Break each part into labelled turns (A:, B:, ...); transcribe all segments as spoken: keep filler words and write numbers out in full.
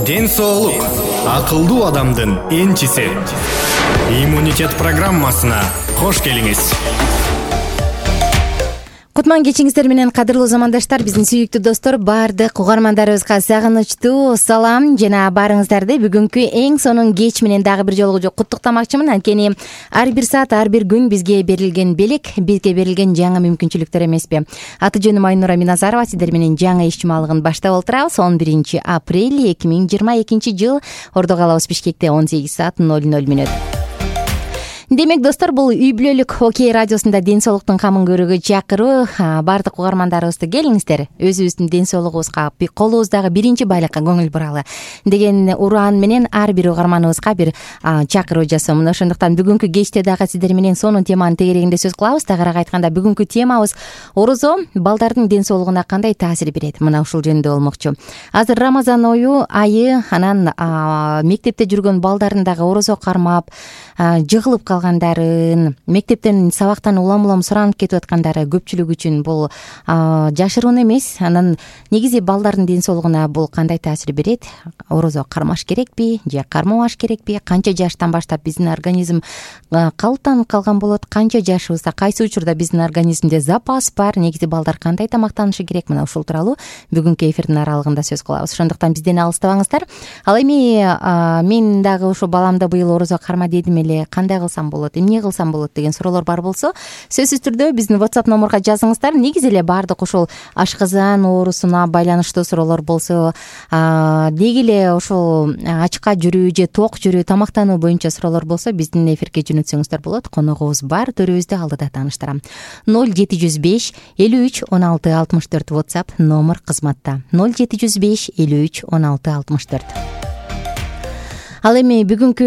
A: Ден соолук акылдуу адамдын энчиси. Иммунитет программасына кош келиңиз.
B: Кутман кечиңиздер менен, кадырлуу замандаштар, биздин сүйүктүү достор, баардык угармандарыбызга сагынычтуу салам жана баарыңыздарды бүгүнкү эң сонун кеч менен дагы бир жолу куттуктамакчымын. Анткени ар бир саат, ар бир күн бизге берилген белек, бизге берилген жаңы мүмкүнчүлүктөр эмеспи. Аты жөнүм Айнура Миназарова, сиздер менен жаңы иш чумалыгын баштап отурабыз. он биринчи апрель эки миң жыйырма экинчи жыл. Ордо калабыз Бишкекте он сегиз саат ноль ноль мүнөт. Демек достор, бул үй бүлөлүк Окей радиосунда ден соолуктун камын көрүүгө чакыруу. Баардык угармандарыбызды келиңиздер, өзүбүздүн ден соолугубузга, колубуздагы биринчи байлыкка көңүл буралы деген ураан менен ар бир угарманыбызга бир чакыруу жасоомун. Ошондуктан бүгүнкү кечте дагы сиздер менен сонун теманын тегерегинде сөз кылабыз. Тагыраак айтканда, бүгүнкү темабыз орозо балдардын ден соолугуна кандай таасир берет? Мына ушул жөнүндө болмокчу. Азыр Рамазан ою айы, анан мектепте жүргөн балдарын дагы орозо кармап, жыгылып калгандарын, мектептен сабактан улам-улам суранып кетип аткандары көпчүлүк үчүн бул жашыруун эмес. Анан негизи балдардын ден соолугуна бул кандай таасир берет? Орозо кармаш керекпи же кармабаш керекпи? Канча жаштан баштап биздин организм калыптанып калган болот? Канча жашыбызда, кайсы учурда биздин организмде запас бар? Негизи балдар кандай тамактанышы керек? Мына ушул тууралуу бүгүнкү эфирдин аралыгында сөз кылабыз. Ошондуктан бизден алыстабаңыздар. Ал эми мен дагы ушу баламды быйыл орозо карма дедим эле, кандай кылсам болот, эмне кылсам болот деген суроолор бар болсо, сөзсүз түрдө биздин WhatsApp номурга жазыңыздар. Негизи эле баардык ушул ашказан оорусуна байланыштуу суроолор болсо, деги эле ушул ачка жүрүү же ток жүрүү, тамактануу боюнча суроолор болсо, биздин эфирге жөнөтсөңүздөр болот. Коногубуз бар, төрүбүздү алдыда тааныштырам. ноль жети жүз беш элүү үч он алты алтымыш төрт WhatsApp номер кызматта. ноль жети жүз беш элүү үч он алты алтымыш төрт. Ал эми бүгүнкү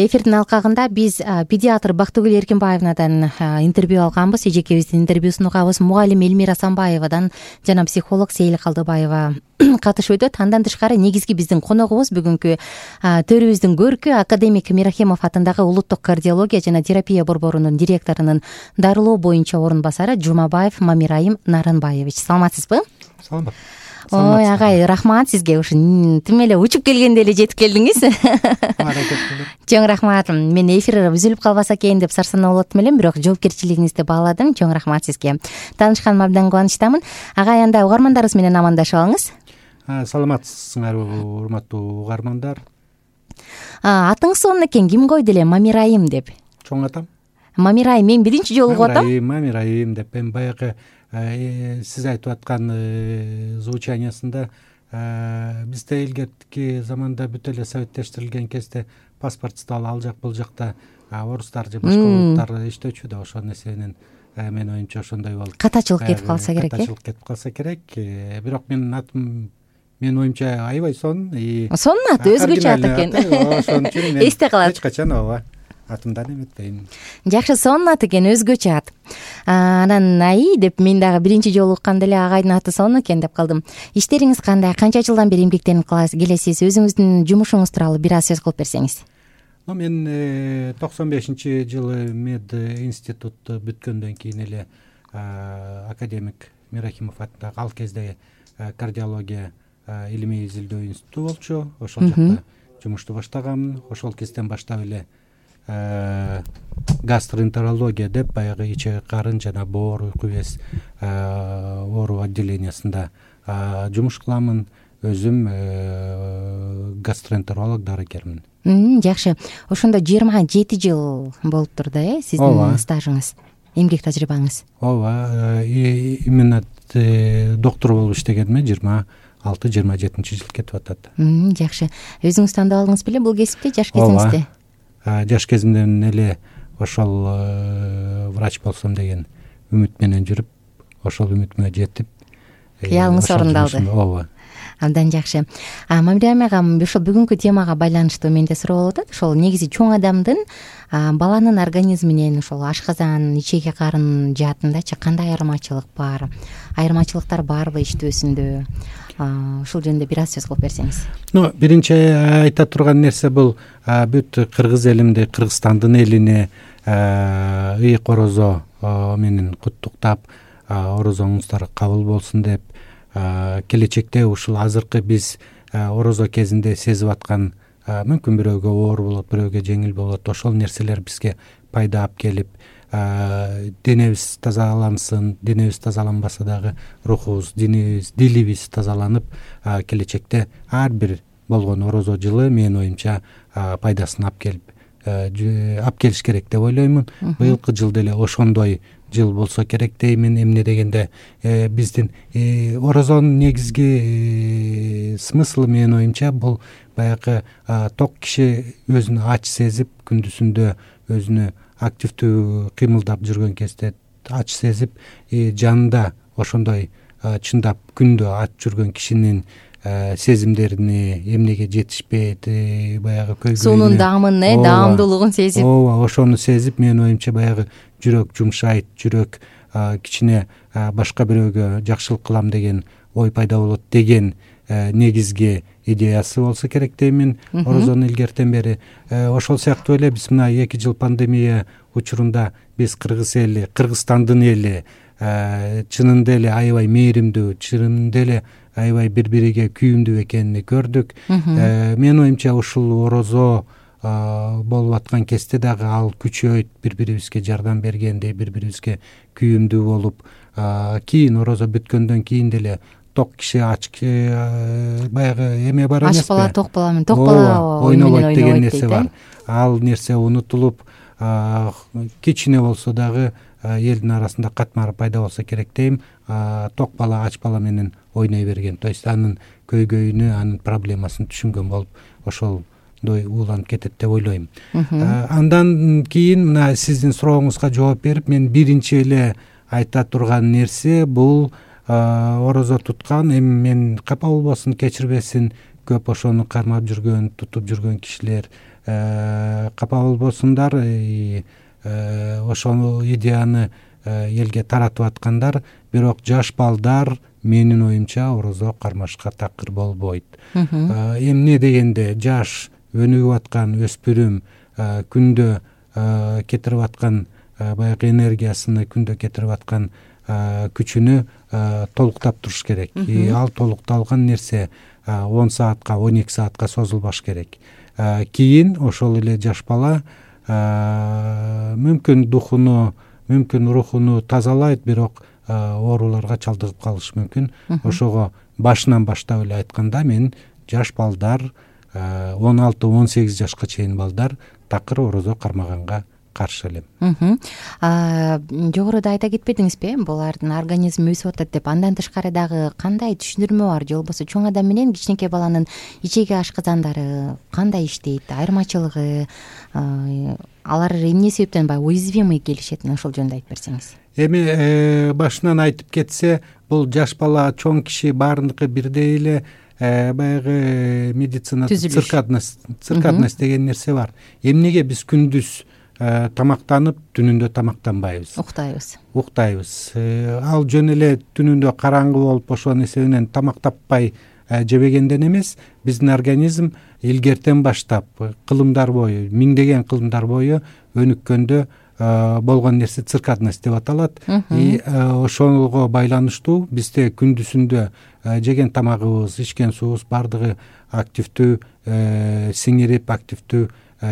B: эфирдин алкагында биз педиатр Бактыгүл Эркинбаевнадан интервью алганбыз. Эжекебиздин интервьюсун угабыз. Мугалим Элмира Самбаевадан жана психолог Сейил Калдыбаева катышып өтөт. Андан тышкары негизги биздин коногубуз бүгүнкү төрүбүздүн көркү академик Мирахимов атындагы улуттук кардиология жана терапия борборунун директорунун дарылоо боюнча орун басары Жумабаев Мамирайым Нарынбаевич. Саламатсызбы?
C: Саламат.
B: Ой, агай, рахмат сизге. Ушу тим эле учуп келгенде эле жетип келдиңиз. Чоң рахмат. Мен эфир үзүлүп калбаса экен деп сарсанаа болотум элем, бирок жоопкерчилигиңизди бааладым. Чоң рахмат сизге. Таанышканыма абдан кубанычтамын. Агай, анда угармандарыбыз менен амандашып алыңыз.
C: Саламатсызсыңарбы, урматтуу угармандар?
B: Атыңыз сонун экен, ким койду эле Мамирайым деп?
C: Чоң атам.
B: Мамирайым, мен биринчи жолу угуп атам.
C: Мамирайым деп, мен баягы сиз айтып аткан звучаниясында бизде илгерки заманда бүт эле советтештирилген кезде паспортсуз ал жак бул жакта орустар же башка улуттар иштөөчү да, ошол нерсе менен менин оюмча ошондой болуп
B: катачылык кетип калса керек.
C: Катачылык кетип калса керек. Бирок менин атым, менин оюмча, аябай сонун.
B: Сонун ат, өзгөчө ат экен.
C: Ошон үчүн мен
B: эсте калат.
C: Эч качан ооба атымдан эметпейм.
B: Жакшы, сонун ат экен, өзгөчө ат. Анан аи деп мен дагы биринчи жолу укканда эле агайдын аты сонун экен деп калдым. Иштериңиз кандай? Канча жылдан бери эмгектенип келесиз? Өзүңүздүн жумушуңуз тууралуу бир аз сөз кылып берсеңиз.
C: Мен токсон бешинчи жылы мед институт бүткөндөн кийин эле академик Мирахимов атындагы ал кезде кардиология илимий изилдөө институту болчу. Ошол жакта жумушту баштаганмын. Ошол кезден баштап эле гастроэнтерология деп баягы ичек карын жана боор, уйку без оору отделениясында жумуш кыламын. Өзүм гастроэнтеролог, дарыгермин.
B: Жакшы. Ошондо жыйырма жети жыл болуптур да, э, сиздин стажыңыз, эмгек тажрыйбаңыз?
C: Ооба, именно доктор болуп иштегениме жыйырма алты жыйырма жетинчи жыл кетип атат.
B: Жакшы. Өзүңүз тандап алдыңыз беле бул кесипти жаш кезиңизде?
C: Жаш кезимден эле ошол врач болсом деген үмүт менен жүрүп, ошол үмүтүмө жетип,
B: кыялыңыз орундалды.
C: Ооба.
B: Абдан жакшы. Мамирайым агам, ошол бүгүнкү темага байланыштуу менде суроо болуп атат. Ошол негизи чоң адамдын баланын организминен ошол ашказан, ичеги карын жаатындачы кандай айырмачылык бар? Айырмачылыктар барбы иштөөсүндө? Ушул жөнүндө бир аз сөз кылып берсеңиз.
C: Ну, биринчи айта турган нерсе бул бүт кыргыз элимди, Кыргызстандын элине ыйык орозо менен куттуктап, орозоңуздар кабыл болсун деп, келечекте ушул азыркы биз орозо кезинде сезип аткан, мүмкүн бирөөгө оор болот, бирөөгө жеңил болот, ошол нерселер бизге пайда алып келип, денебиз тазалансын, денебиз тазаланбаса дагы рухубуз, динибиз, дилибиз тазаланып, келечекте ар бир болгон орозо жылы менин оюмча пайдасын алып келип алып келиш керек деп ойлоймун. Быйылкы жыл деле ошондой жыл болсо керек деймин. Эмне дегенде биздин орозонун негизги смыслы менин оюмча бул баягы ток киши өзүнү ач сезип, күндүзүндө өзүнү активдүү кыймылдап жүргөн кезде ач сезип, жанында ошондой чындап күндө ач жүргөн кишинин сезимдерине, эмнеге жетишпейт, баягы көйгөйүнө,
B: суунун даамын, даамдуулугун сезип,
C: ооба ошону сезип, менин оюмча баягы жүрөк жумшайт, жүрөк кичине башка бирөөгө жакшылык кылам деген ой пайда болот деген негизги идеясы болсо керек деймин орозону илгертен бери. Ошол сыяктуу эле биз мына эки жыл пандемия учурунда биз кыргыз эли, Кыргызстандын эли чынында эле аябай мээримдүү, чынында эле аябай бири бириге күйүмдүү экенин көрдүк. Менин оюмча ушул орозо болуп аткан кезде дагы ал күчөйт, бири бирибизге жардам бергендей, бири бирибизге күйүмдүү болуп, кийин орозо бүткөндөн кийин деле ток киши ач баягы эме бар эмеспи?
B: Аш бала ток баламын, ток бала
C: ойнобойт деген нерсе бар. Ал нерсе унутулуп, кичине болсо дагы элдин арасында катмар пайда болсо керек дейм. Ток бала ач бала менен ойной берген, то есть анын көйгөйүнү, анын проблемасын түшүнгөн болуп, ошолдой ууланып кетет деп ойлойм. Андан кийин мына сиздин сурооңузга жооп берип, мен биринчи эле айта турган нерсе бул орозо туткан, эми мен капа болбосун, кечирбесин, көп ошону кармап жүргөн, тутуп жүргөн кишилер капа болбосундар, ошол идеяны элге таратып аткандар, бирок жаш балдар менин оюмча орозо кармашка такыр болбойт. Эмне дегенде жаш өнүгүп аткан өспүрүм күндө кетирип аткан баягы энергиясыны, күндө кетирип аткан күчүнү толуктап туруш керек. Ал толукталган нерсе он саатка, он эки саатка созулбаш керек. Кийин ошол эле жаш бала мүмкүн духуну, мүмкүн рухуну тазалайт, бирок ооруларга чалдыгып калышы мүмкүн. Ошого башынан баштап эле айтканда, мен жаш балдар, он алты он сегиз жашка чейин балдар такыр орозо кармаганга каршы элем.
B: Жогоруда айта кетпедиңизби, булардын организми өсүп атат деп? Андан тышкары дагы кандай түшүндүрмө бар, же болбосо чоң адам менен кичинекей баланын ичеги ашказандары кандай иштейт, айырмачылыгы, алар эмне себептен баягы уязвимый келишет, ошол жөнүндө айтып берсеңиз.
C: Эми башынан айтып кетсе, бул жаш бала, чоң киши баарыныкы бирдей эле баягы медицинада циркадность, циркадность деген нерсе бар. Эмнеге биз күндүз тамактанып, түнүндө тамактанбайбыз? Уктайбыз. Уктайбыз. Ал жөн эле түнүндө караңгы болуп, ошонун эсебинен тамак таппай жебегенден эмес, биздин организм илгертен баштап кылымдар бою, миңдеген кылымдар бою өнүккөндө болгон нерсе циркадность деп аталат. И ошого байланыштуу бизде күндүзүндө жеген тамагыбыз, ичкен суубуз бардыгы активдүү сиңирип, активдүү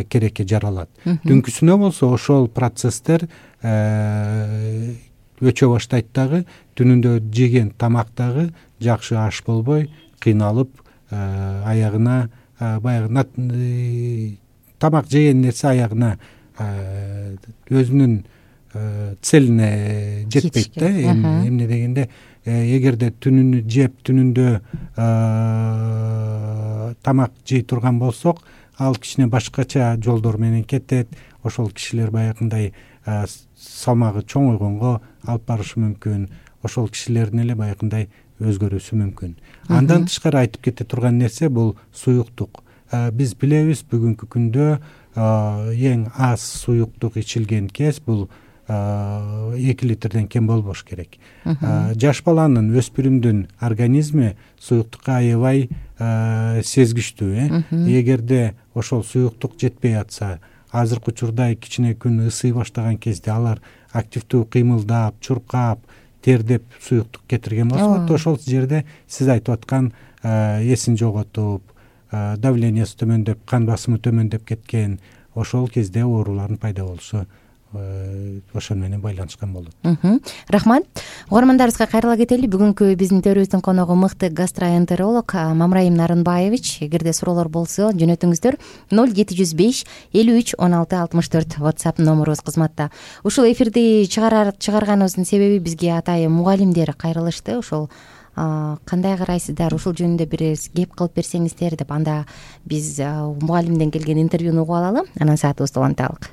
C: керекке жаралат. Түнкүсүнө болсо ошол процесстер өчө баштайт дагы, түнүндө жеген тамак дагы жакшы аш болбой, кыйналып, аягына баягы тамак жеген нерсе аягына өзүнүн целине жетпейт да. Эмне дегенде, эгерде түнүнү жеп, түнүндө тамак жей турган болсок, ал кичине башкача жолдор менен кетет. Ошол кишилер баягындай салмагы чоңойгонго алып барышы мүмкүн. Ошол кишилердин эле баягындай өзгөрүүсү мүмкүн. Андан тышкары айтып кете турган нерсе бул суюктук. Биз билебиз, бүгүнкү күндө эң аз суюктук ичилген кез бул эки литрден кем болбош керек. Жаш баланын, өспүрүмдүн организми суюктукка аябай сезгичтүү. Эгерде ошол суюктук жетпей атса, азыркы учурда кичине күн ысый баштаган кезде алар активдүү кыймылдап, чуркап, тердеп суюктук кетирген болсо, ошол жерде сиз айтып аткан эсин жоготуп, давлениясы төмөндөп, кан басымы төмөндөп кеткен, ошол кезде оорулардын пайда болушу ошол менен байланышкан болот.
B: Рахмат. Угармандарыбызга кайрыла кетели. Бүгүнкү биздин төрүбүздүн коногу мыкты гастроэнтеролог Мамраим Нарынбаевич. Эгерде суроолор болсо жөнөтүңүздөр ноль жети жүз беш элүү үч он алты алтымыш төрт WhatsApp номерубуз кызматта. Ушул эфирди чыгарганыбыздын себеби бизге атайын мугалимдер кайрылышты. Ошол кандай карайсыздар, ушул жөнүндө бир кеп кылып берсеңиздер деп. Анда биз мугалимден келген интервьюну угуп алалы, анан саатыбызды уланталык.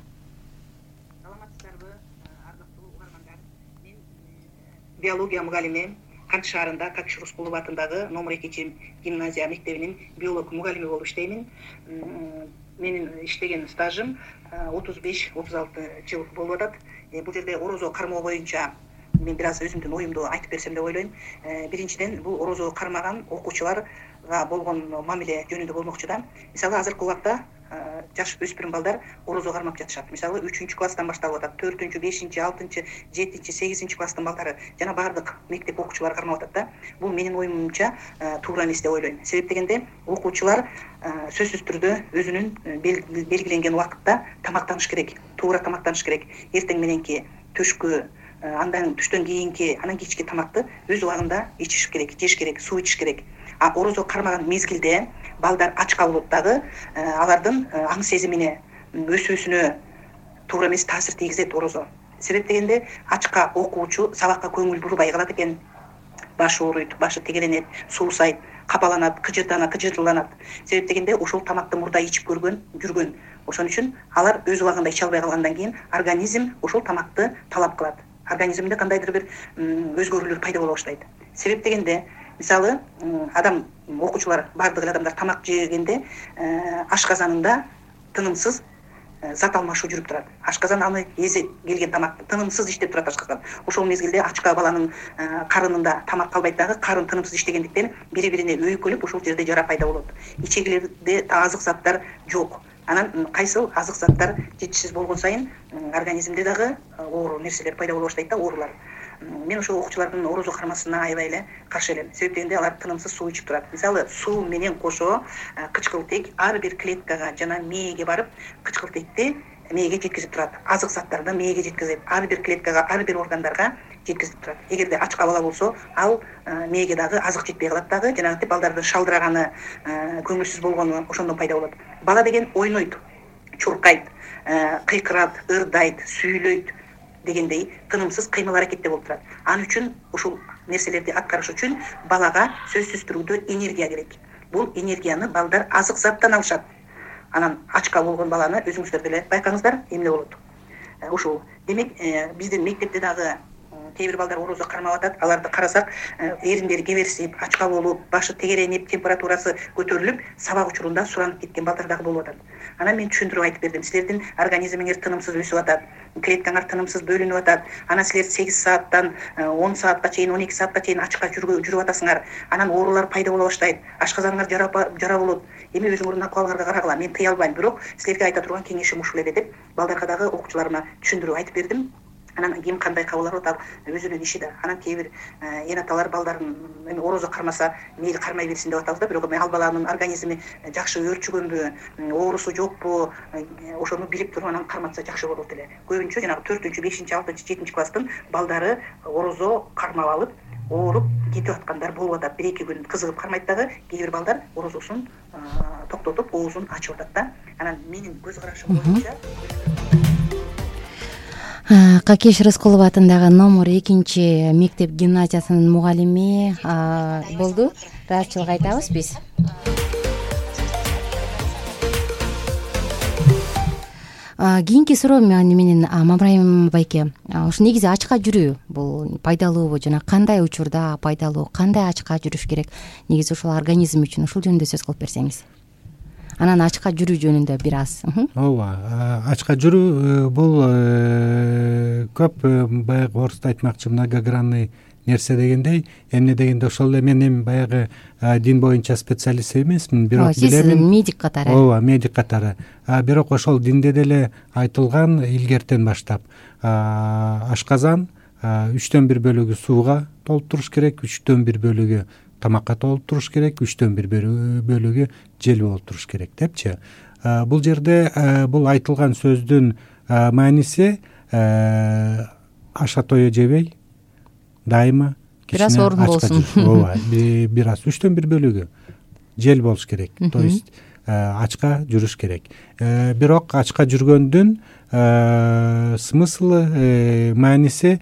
D: Биология мугалими, Кант шаарында Какиш Рускулов атындагы номер экинчи гимназия мектебинин биолог мугалими болуп иштеймин. Менин иштеген стажым отуз беш отуз алты жыл болуп атат. Бул жерде орозо кармоо боюнча мен бир аз өзүмдүн оюмду айтып берсем деп ойлойм. Биринчиден, бул орозо кармаган окуучуларга болгон мамиле жөнүндө болмокчу да. Мисалы, азыркы убакта жаш өспүрүм балдар орозо кармап жатышат. Мисалы, үчүнчү класстан башталып атат, төртүнчү, бешинчи, алтынчы, жетинчи, сегизинчи класстын балдары жана баардык мектеп окуучулары кармап атат да. Бул менин оюмча туура эмес деп ойлойм. Себеп дегенде, окуучулар сөзсүз түрдө өзүнүн белгиленген убакытта тамактаныш керек, туура тамактаныш керек. Эртең мененки, түшкү, андан түштөн кийинки, анан кечки тамакты өз убагында ичиш керек, жеш керек, суу ичиш керек. А орозо кармаган мезгилде балдар ач калып дагы алардын аң сезимине, өсүүсүнө туура эмес таасир тийгизет орозо. Себеп дегенде, ачка окуучу сабакка көңүл бурбай калат экен. Башы ооруйт, башы тегеленет, суусайт, капаланат, кыжырданат, кыжырланат. Себеп дегенде, ошол тамакты мурда ичип көргөн, жүргөн. Ошон үчүн алар өз убагында иче албай калгандан кийин организм ошол тамакты талап кылат. Организмде кандайдыр бир өзгөрүүлөр пайда боло баштайт. Себеп дегенде, мисалы, адам, окуучулар, бардык адамдар тамак жегенде ашказанында тынымсыз зат алмашуу жүрүп турат. Ашказан аны эзе келген тамакты тынымсыз иштеп турат ашказан. Ошол мезгилде ачка баланын карынында тамак калбайт дагы, карын тынымсыз иштегендиктен бири-бирине өйкөлүп ошол жерде жара пайда болот. Ичегилерде азык заттар жок. Анан кайсыл азык заттар жетишсиз болгон сайын организмде дагы оору нерселер пайда боло баштайт да, оорулар. Мен ошол окуучулардын орозо кармасына аябай эле каршы элем. Себеп дегенде, алар тынымсыз суу ичип турат. Мисалы, суу менен кошо кычкылтек ар бир клеткага жана мээге барып, кычкылтекти мээге жеткизип турат. Азык заттарды мээге жеткизип, ар бир клеткага, ар бир органдарга жеткизип турат. Эгерде ачка бала болсо, ал мээге дагы азык жетпей калат дагы, жанагынтип балдардын шалдыраганы, көңүлсүз болгону ошондон пайда болот. Бала деген ойнойт, чуркайт, кыйкырат, ырдайт, сүйлөйт дегендей тынымсыз кыймыл аракетте болуп турат. Ал үчүн ушул нерселерди аткарыш үчүн балага сөзсүз түрдө энергия керек. Бул энергияны балдар азык заттан алышат. Анан ачка болгон баланы өзүңүздөр деле байкаңыздар, эмне болот. Ушул. Демек, биздин мектепте дагы кээ бир балдар орозо кармап атат. Аларды карасак, эриндери кеберсип, ачка болуп, башы тегеренип, температурасы көтөрүлүп, сабак учурунда суранып кеткен балдар дагы болуп атат. Анан мен түшүндүрүп айтып бердим. Силердин организмиңер тынымсыз өсүп атат, клеткаңар тынымсыз бөлүнүп атат. Анан силер сегиз сааттан он саатка чейин, он эки саатка чейин ачка жүрүп атасыңар. Анан оорулар пайда боло баштайт. Ашказаныңар жара болот. Эми өзүңөрдүн акыбалыңарга карагыла. Мен тыя албайм, бирок силерге айта турган кеңешим ушул эле деп балдарга дагы, окуучуларыма түшүндүрүп айтып бердим. Анан ким кандай кабыл алат, ал өзүнүн иши да. Анан кээ бир эн аталар балдарын эми орозо кармаса, мейли кармай берсин деп атабыз да, бирок ал баланын организми жакшы өөрчүгөнбү, оорусу жокпу, ошону билип туруп анан карматса жакшы болот эле. Көбүнчө жанагы төртүнчү, бешинчи, алтынчы, жетинчи класстын балдары орозо кармап алып, ооруп кетип аткандар болуп атат. бир эки күн кызыгып кармайт дагы, кээ бир балдар орозосун токтотуп, оозун ачып атат да. Анан менин көз карашым боюнча
B: Какиш Рыскулов атындагы номер экинчи мектеп гимназиясынын мугалими болду. Ыраазычылык айтабыз биз. Кийинки суроо менен Мамраим байке, ушу негизи ачка жүрүү бул пайдалуубу жана кандай учурда пайдалуу, кандай ачка жүрүш керек? Негизи ушул организм үчүн ушул жөнүндө сөз кылып берсеңиз. Анан ачка жүрүү жөнүндө бир аз.
C: Ооба, ачка жүрүү бул көп баягы орусча айтмакчы многогранный нерсе дегендей. Эмне дегенде, ошол эле мен эми баягы дин боюнча специалист эмесмин, бирок билемин. Сиз
B: медик катары.
C: Ооба, медик катары. Бирок ошол динде деле айтылган илгертен баштап ашказан үчтөн бир бөлүгү сууга толуп туруш керек, үчтөн бир бөлүгү тамакка толуп туруш керек, үчтөн бир бөлүгү жел болуп туруш керек депчи. Бул жерде бул айтылган сөздүн мааниси аша тое жебей дайыма
B: бир аз орун болсун.
C: Ооба, бир аз үчтөн бир бөлүгү жел болуш керек. То есть ачка жүрүш керек. Бирок ачка жүргөндүн смыслы, мааниси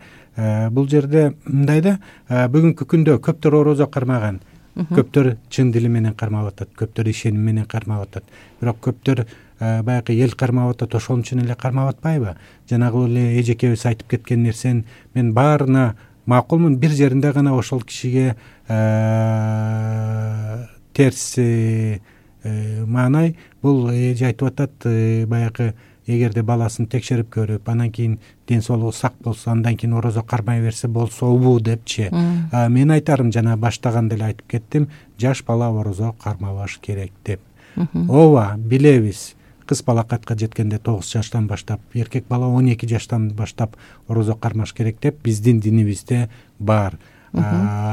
C: бул жерде мындай да, бүгүнкү күндө көптөр орозо кармаган, көптөр чын дили менен кармап атат, көптөр ишеним менен кармап атат. Бирок көптөр баягы эл кармап атат, ошон үчүн эле кармап атпайбы? Жанагы эле эжекебиз айтып кеткен нерсени мен баарына макулмун, бир жеринде гана ошол кишиге терс маанай. Бул эже айтып атат, баягы эгерде баласын текшерип көрүп, анан кийин ден соолугу сак болсо, андан кийин орозо кармай берсе болсобу депчи. Мен айтарым, жана баштаганда эле айтып кеттим, жаш бала орозо кармабаш керек деп. Ооба, билебиз. Кыз балакатка жеткенде тогуз жаштан баштап, эркек бала он эки жаштан баштап орозо кармаш керек деп биздин динибизде бар.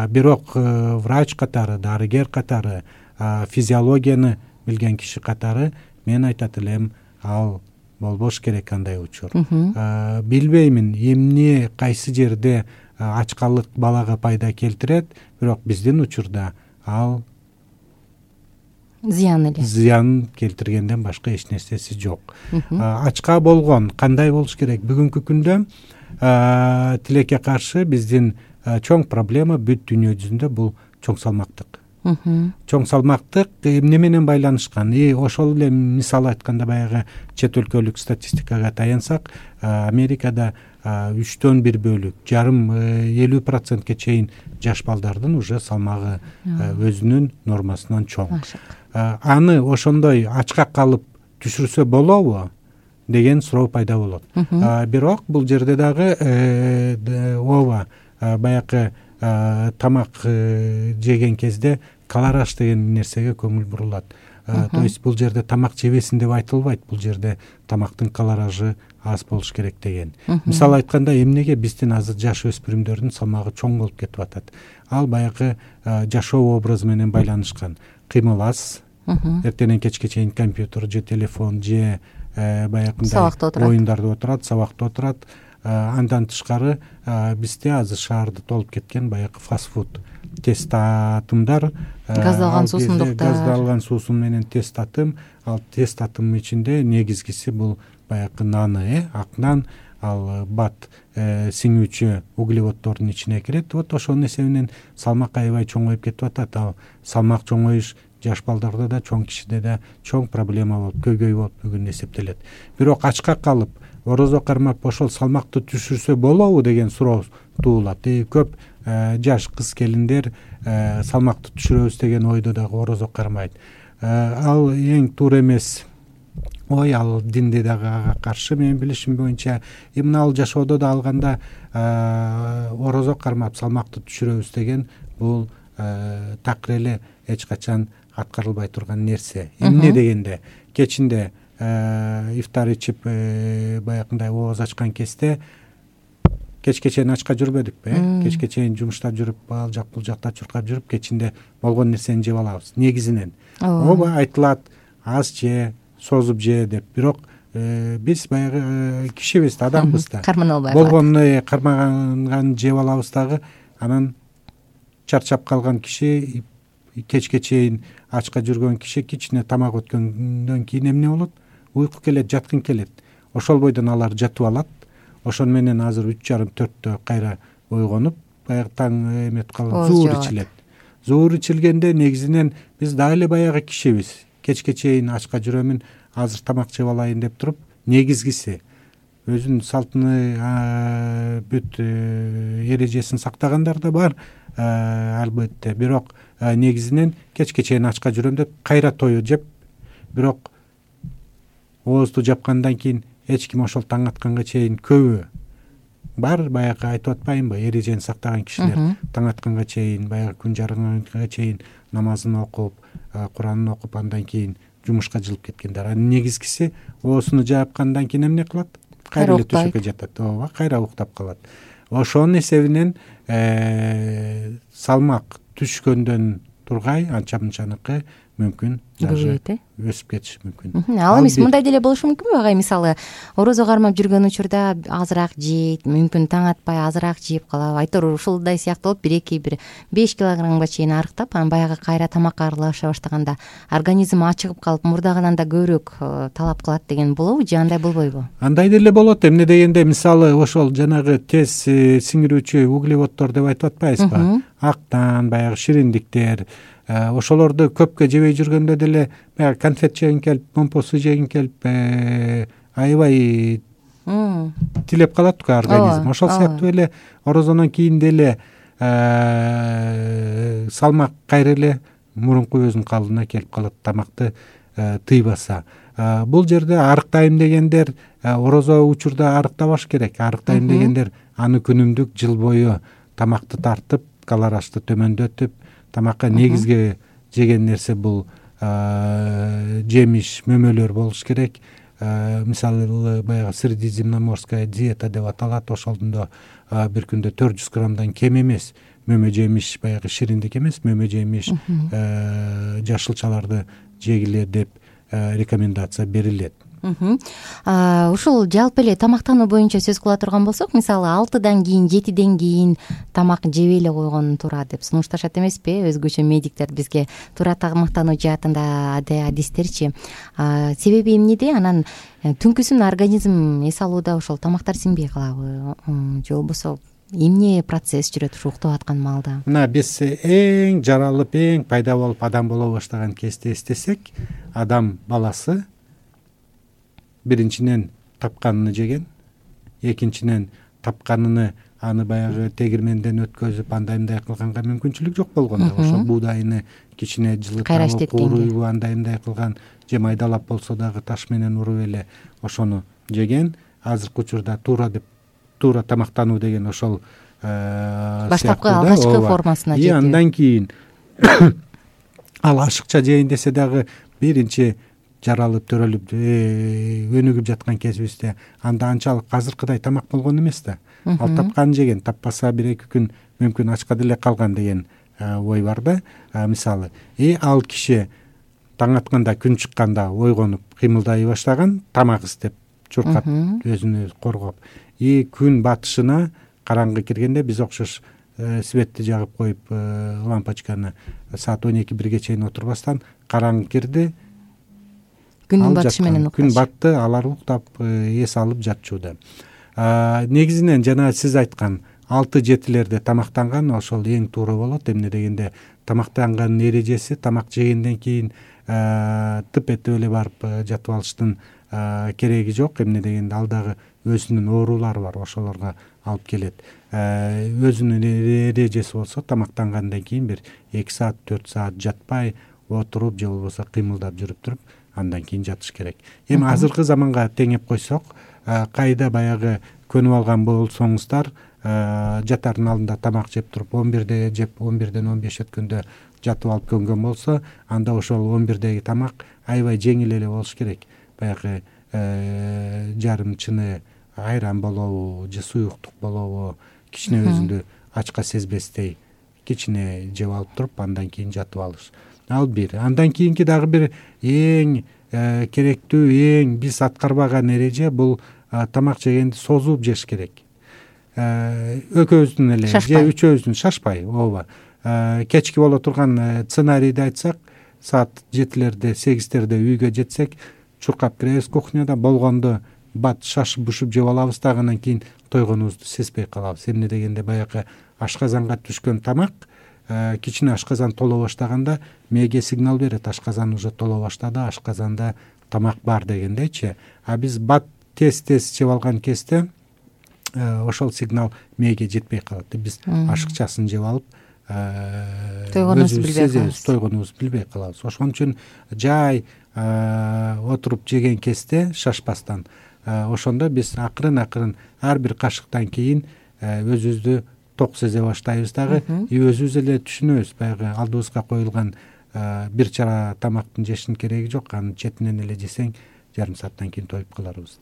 C: Бирок врач катары, дарыгер катары, физиологияны билген киши катары мен айтат элем, ал болбош керек андай учур. Билбеймин эмне кайсы жерде ачкалык балага пайда келтирет, бирок биздин учурда ал
B: зыян эле.
C: Зыян келтиргенден башка эч нерсеси жок. Ачка болгон кандай болуш керек? Бүгүнкү күндө тилекке каршы биздин чоң проблема бүт дүйнө жүзүндө бул чоң салмактык. Чоң салмактык эмне менен байланышкан? И ошол эле мисал айтканда, баягы чет өлкөлүк статистикага таянсак, Америкада үчтөн бир бөлүк, жарым элүү процентке чейин жаш балдардын уже салмагы өзүнүн нормасынан чоң. Аны ошондой ачка калып түшүрсө болобу деген суроо пайда болот. Бирок бул жерде дагы ооба, баягы тамак жеген кезде калораш деген нерсеге көңүл бурулат. То есть бул жерде тамак жебесин деп айтылбайт, бул жерде тамактын калоражы аз болуш керек деген. Мисал айтканда, эмнеге биздин азыр жаш өспүрүмдөрдүн салмагы чоң болуп кетип атат? Ал баягы жашоо образы менен байланышкан. Кыймыл аз, эртеңен кечке чейин компьютер же телефон же баягындай оюндарда отурат, сабакта отурат. Андан тышкары бизде азыр шаарды толуп кеткен баягы фастфуд, тест татымдар,
B: газдалган суусундуктар,
C: газдалган суусун менен тест татым. Ал тест татым ичинде негизгиси бул баягы наны, ак нан, ал бат сиңүүчү углеводдордун ичине кирет. Вот ошонун эсебинен салмак аябай чоңоюп кетип атат. Ал салмак чоңоюш жаш балдарда да, чоң кишиде да чоң проблема болуп, көйгөй болуп бүгүн эсептелет. Бирок ачка калып орозо кармап ошол салмакты түшүрсө болобу деген суроо туулат. И көп жаш кыз келиндер салмакты түшүрөбүз деген ойдо дагы орозо кармайт. Ал эң туура эмес ой, ал динде дагы ага каршы. Менин билишим боюнча, эмне ал жашоодо да алганда орозо кармап салмакты түшүрөбүз деген бул такыр эле эч качан аткарылбай турган нерсе. Эмне дегенде, кечинде ифтар ичип баягындай ооз ачкан кезде кечке чейин ачка жүрбөдүкпү? Кечке чейин жумуштап жүрүп, ал жак бул жакта чуркап жүрүп, кечинде болгон нерсени жеп алабыз негизинен. Ооба, айтылат аз же, созуп же деп. Бирок биз баягы кишибиз да, адамбыз да.
B: Кармана албай
C: болгону кармаган жеп алабыз дагы. Анан чарчап калган киши, кечке чейин ачка жүргөн киши кичине тамак өткөндөн кийин эмне болот? Уйку келет, жаткын келет. Ошол бойдон алар жатып алат. Ошон менен азыр үч жарым төрттө кайра ойгонуп, баягы таң эметип калып зуур ичилет. Зуур ичилгенде негизинен биз дагы эле баягы кишибиз. Кечке чейин ачка жүрөмүн, азыр тамак жеп алайын деп туруп, негизгиси өзүнүн салтыны, бүт эрежесин сактагандар да бар, албетте. Бирок негизинен кечке чейин ачка жүрөм деп кайра тою жеп, бирок оозду жапкандан кийин эч ким ошол таң атканга чейин көбү бар, баягы айтып атпаймынбы, эрежени сактаган кишилер таң атканга чейин, баягы күн жарыганга чейин намазын окуп, Куранын окуп, андан кийин жумушка жылып кеткендер. Анын негизгиси оозуну жапкандан кийин эмне кылат? Кайра эле төшөккө жатат. Ооба, кайра уктап калат. Ошонун эсебинен салмак түшкөндөн тургай анча мынчаныкы мүмкүн даже өсүп кетиши мүмкүн.
B: Ал эмес мындай деле болушу мүмкүнбү агай, мисалы орозо кармап жүргөн учурда азыраак жейт, мүмкүн таң атпай азыраак жеп калабы, айтор ушулдай сыяктуу болуп бир эки бир беш килограммга чейин арыктап, анан баягы кайра тамакка аралаша баштаганда организм ачыгып калып мурдагынан да көбүрөөк талап кылат деген болобу же андай болбойбу?
C: Андай деле болот. Эмне дегенде мисалы ошол жанагы тез сиңирүүчү углеводдор деп айтып атпайбызбы? Актан, баягы шириндиктер, ошолорду көпкө жебей жүргөндө деле баягы конфет жегиң келип, момпосу жегиң келип, аябай тилеп калат го организм. Ошол сыяктуу эле орозодон кийин деле салмак кайра эле мурунку өзүнүн калыбына келип калат, тамакты тыйбаса. Бул жерде арыктайм дегендер орозо учурда арыктабаш керек. Арыктайм дегендер аны күнүмдүк жыл бою тамакты тартып, калорашты төмөндөтүп, тамакка негизги жеген нерсе бул жемиш, мөмөлөр болуш керек. Мисалы баягы средиземноморская диета деп аталат. Ошондо бир күндө төрт жүз граммдан кем эмес мөмө жемиш, баягы шириндик эмес, мөмө жемиш, жашылчаларды жегиле деп рекомендация берилет.
B: Ушул жалпы эле тамактануу боюнча сөз кыла турган болсок, мисалы алтыдан кийин, жетиден кийин тамак жебей эле койгон туура деп сунушташат эмеспи? Өзгөчө медиктер бизге туура тамактануу жаатында адистерчи. Себеби эмнеде? Анан түнкүсүн организм эс алууда ошол тамактар сиңбей калабы же болбосо эмне процесс жүрөт ушу уктап аткан маалда?
C: Мына биз эң жаралып, эң пайда болуп адам боло баштаган кезде эстесек, адам баласы биринчиден тапканын жеген, экинчиден тапканын аны баягы тегирменден өткөзүп андай мындай кылганга мүмкүнчүлүк жок болгондо, ошо буудайны кичине жылытып, кууруйбу андай мындай кылган, же майдалап болсо дагы таш менен уруп эле ошону жеген. Азыркы учурда туура деп туура тамактануу деген ошол
B: баштапкы алгачкы формасына жетүү.
C: И андан кийин ал ашыкча жейин десе дагы биринчи жаралып, төрөлүп, өнүгүп жаткан кезибизде анда анчалык азыркыдай тамак болгон эмес да. Ал тапканын жеген, таппаса бир эки күн мүмкүн ачка деле калган деген ой бар да. Мисалы, и ал киши таң атканда, күн чыкканда ойгонуп кыймылдай баштаган, тамак издеп чуркап, өзүнө өзү коргоп, и күн батышына караңгы киргенде биз окшош светти жагып коюп, лампочканы саат он эки бирге чейин отурбастан караңгы кирди,
B: күндүн батышы менен уктап,
C: күн батты, алар уктап, эс алып жатчууда. Негизинен жана сиз айткан алты жетилерде тамактанган ошол эң туура болот. Эмне дегенде тамактанганын эрежеси, тамак жегенден кийин тып этип эле барып жатып алыштын кереги жок. Эмне дегенде ал дагы өзүнүн оорулары бар, ошолорго алып келет. Өзүнүн эрежеси болсо тамактангандан кийин бир эки саат, төрт саат жатпай отуруп же болбосо кыймылдап жүрүп туруп андан кийин жатыш керек. Эми азыркы заманга теңеп койсок, кайда баягы көнүп алган болсоңуздар, жатардын алдында тамак жеп туруп он бирде жеп он бирден он беш өткөндө жатып алып көнгөн болсо, анда ошол он бирдеги тамак аябай жеңил эле болуш керек. Баягы жарым чыны айран болобу же суюктук болобу, кичине өзүндү ачка сезбестей кичине жеп алып туруп андан кийин жатып алыш. Ал бир. Андан кийинки дагы бир эң керектүү, эң биз аткарбаган эреже бул тамак жегенди созуп жеш керек. Экөөбүздүн эле же үчөөбүздүн шашпай, ооба. Кечки боло турган сценарийди айтсак, саат жетилерде, сегиздерде үйгө жетсек, чуркап киребиз кухняда, болгондо бат шашып бушуп жеп алабыз дагы, андан кийин тойгонубузду сезбей калабыз. Эмне дегенде баягы ашказанга түшкөн тамак кичине ашказан толо баштаганда мээге сигнал берет, ашказан уже толо баштады, ашказанда тамак бар дегендейчи. А биз бат тез-тез жеп алган кезде ошол сигнал мээге жетпей калат. Биз ашыкчасын жеп алып, тойгонубузду билбей калабыз. Ошон үчүн жай отуруп жеген кезде шашпастан, ошондо биз акырын-акырын ар бир кашыктан кийин өзүбүздү ток сезе баштайбыз дагы, и өзүбүз эле түшүнөбүз, баягы алдыбызга коюлган бир чара тамактын жештин кереги жок, анын четинен эле жесең эки жарым сааттан кийин тоюп каларбыз.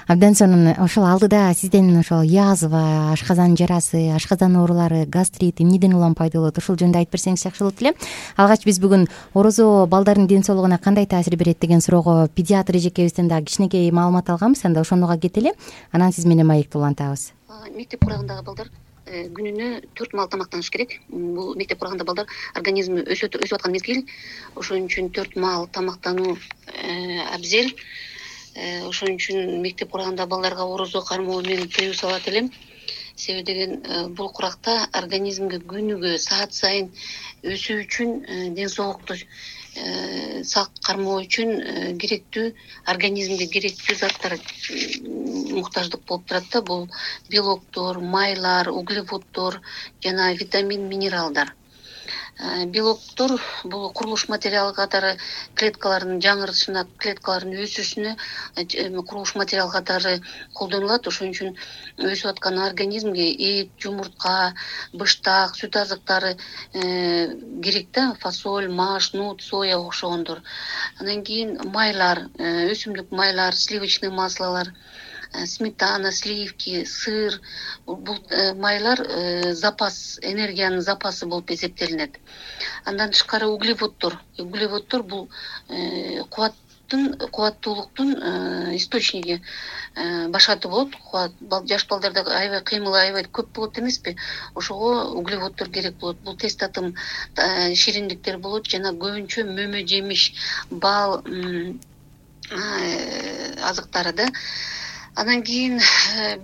B: Абдан сонун. Ошол алдыда сизден ошол язва, ашказан жарасы, ашказан оорулары, гастрит эмнеден улам пайда болот, ошол жөнүндө айтып берсеңиз жакшы болот эле. Алгач биз бүгүн орозо балдардын ден соолугуна кандай таасир берет деген суроого педиатр эжекебизден дагы кичинекей маалымат алганбыз. Анда ошондога кетели. Анан сиз менен маекти улантабыз.
E: Мектеп курагындагы балдар күнүнө төрт маал тамактаныш керек. Бул мектеп курагында балдар организми өсүп өсүп аткан мезгил. Ошон үчүн төрт маал тамактануу абзел. Ошон үчүн мектеп курагында балдарга орозо кармоо менен тыюу салат элем. Себеби деген бул куракта организмге күнүгө саат сайын өсүү үчүн, ден соолукту сак кармоо үчүн керектүү, организмге керектүү заттар муктаждык болуп турат да. Бул белоктор, майлар, углеводдор жана витамин, минералдар. Белоктор бул курулуш материалы катары клеткалардын жаңырышына, клеткалардын өсүшүнө курулуш материал катары колдонулат. Ошон үчүн өсүп аткан организмге эт, жумуртка, быштак, сүт азыктары керек да. Фасоль, маш, нут, соя окшогондор. Андан кийин майлар, өсүмдүк майлар, сливочный маслолор, сметана, сливки, сыр. Бул майлар запас, энергиянын запасы болуп эсептелинет. Андан тышкары углеводдор. Углеводдор бул кубаттын, кубаттуулуктун источниги, башкаты болот. Жаш балдарда аябай кыймыл, аябай көп болот эмеспи? Ошого углеводдор керек болот. Бул тез татым шириндиктер болот жана көбүнчө мөмө, жемиш, бал азыктары да. Андан кийин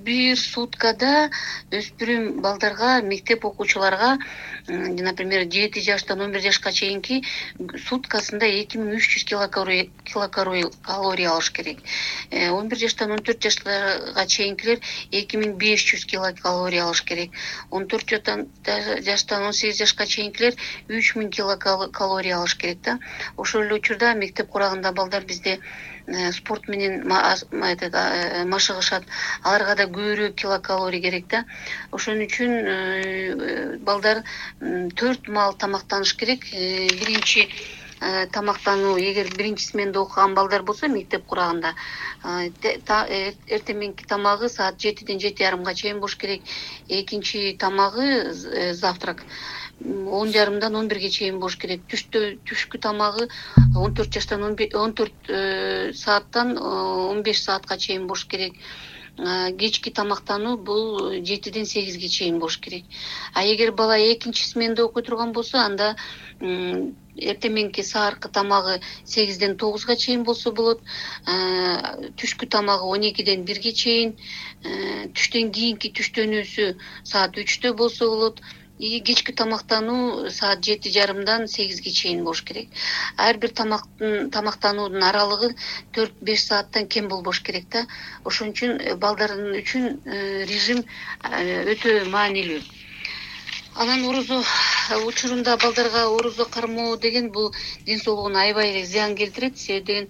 E: бир суткада өспүрүм балдарга, мектеп окуучуларга, например, жети жаштан он бир жашка чейинки суткасында эки миң үч жүз килокалория алыш керек. он бир жаштан он төрт жашка чейинкилер эки миң беш жүз килокалория алыш керек. он төрт жаштан он сегиз жашка чейинкилер үч миң килокалория алыш керек да. Ошол эле учурда мектеп курагында балдар бизде спорт менен машыгышат. Аларга да көбүрөөк килокалория керек да. Ошон үчүн балдар төрт маал тамактаныш керек. Биринчи тамактануу, эгер биринчи сменде окуган балдар болсо мектеп курагында эртең тамагы саат жетиден жети жарымга чейин болуш керек. Экинчи тамагы завтрак он жарымдан он бирге чейин болуш керек. Түштө түшкү тамагы он төрт жаштан он төрт сааттан он беш саатка чейин болуш керек. Кечки тамактануу бул жетиден сегизге чейин болуш керек. А эгер бала экинчи сменде окуй турган болсо, анда эртең сааркы тамагы сегизден тогузга чейин болсо болот. Түшкү тамагы он экиден бирге чейин, түштөн кийинки түштөнүүсү саат үчтө болсо болот. И кечки тамактануу саат жети жарымдан сегизге чейин болуш керек. Ар бир тамактын тамактануунун аралыгы төрт беш сааттан кем болбош керек да. Ошон үчүн балдардын үчүн режим өтө маанилүү. Анан орозо учурунда балдарга орозо кармоо деген бул ден соолугуна аябай зыян келтирет. Себеби деген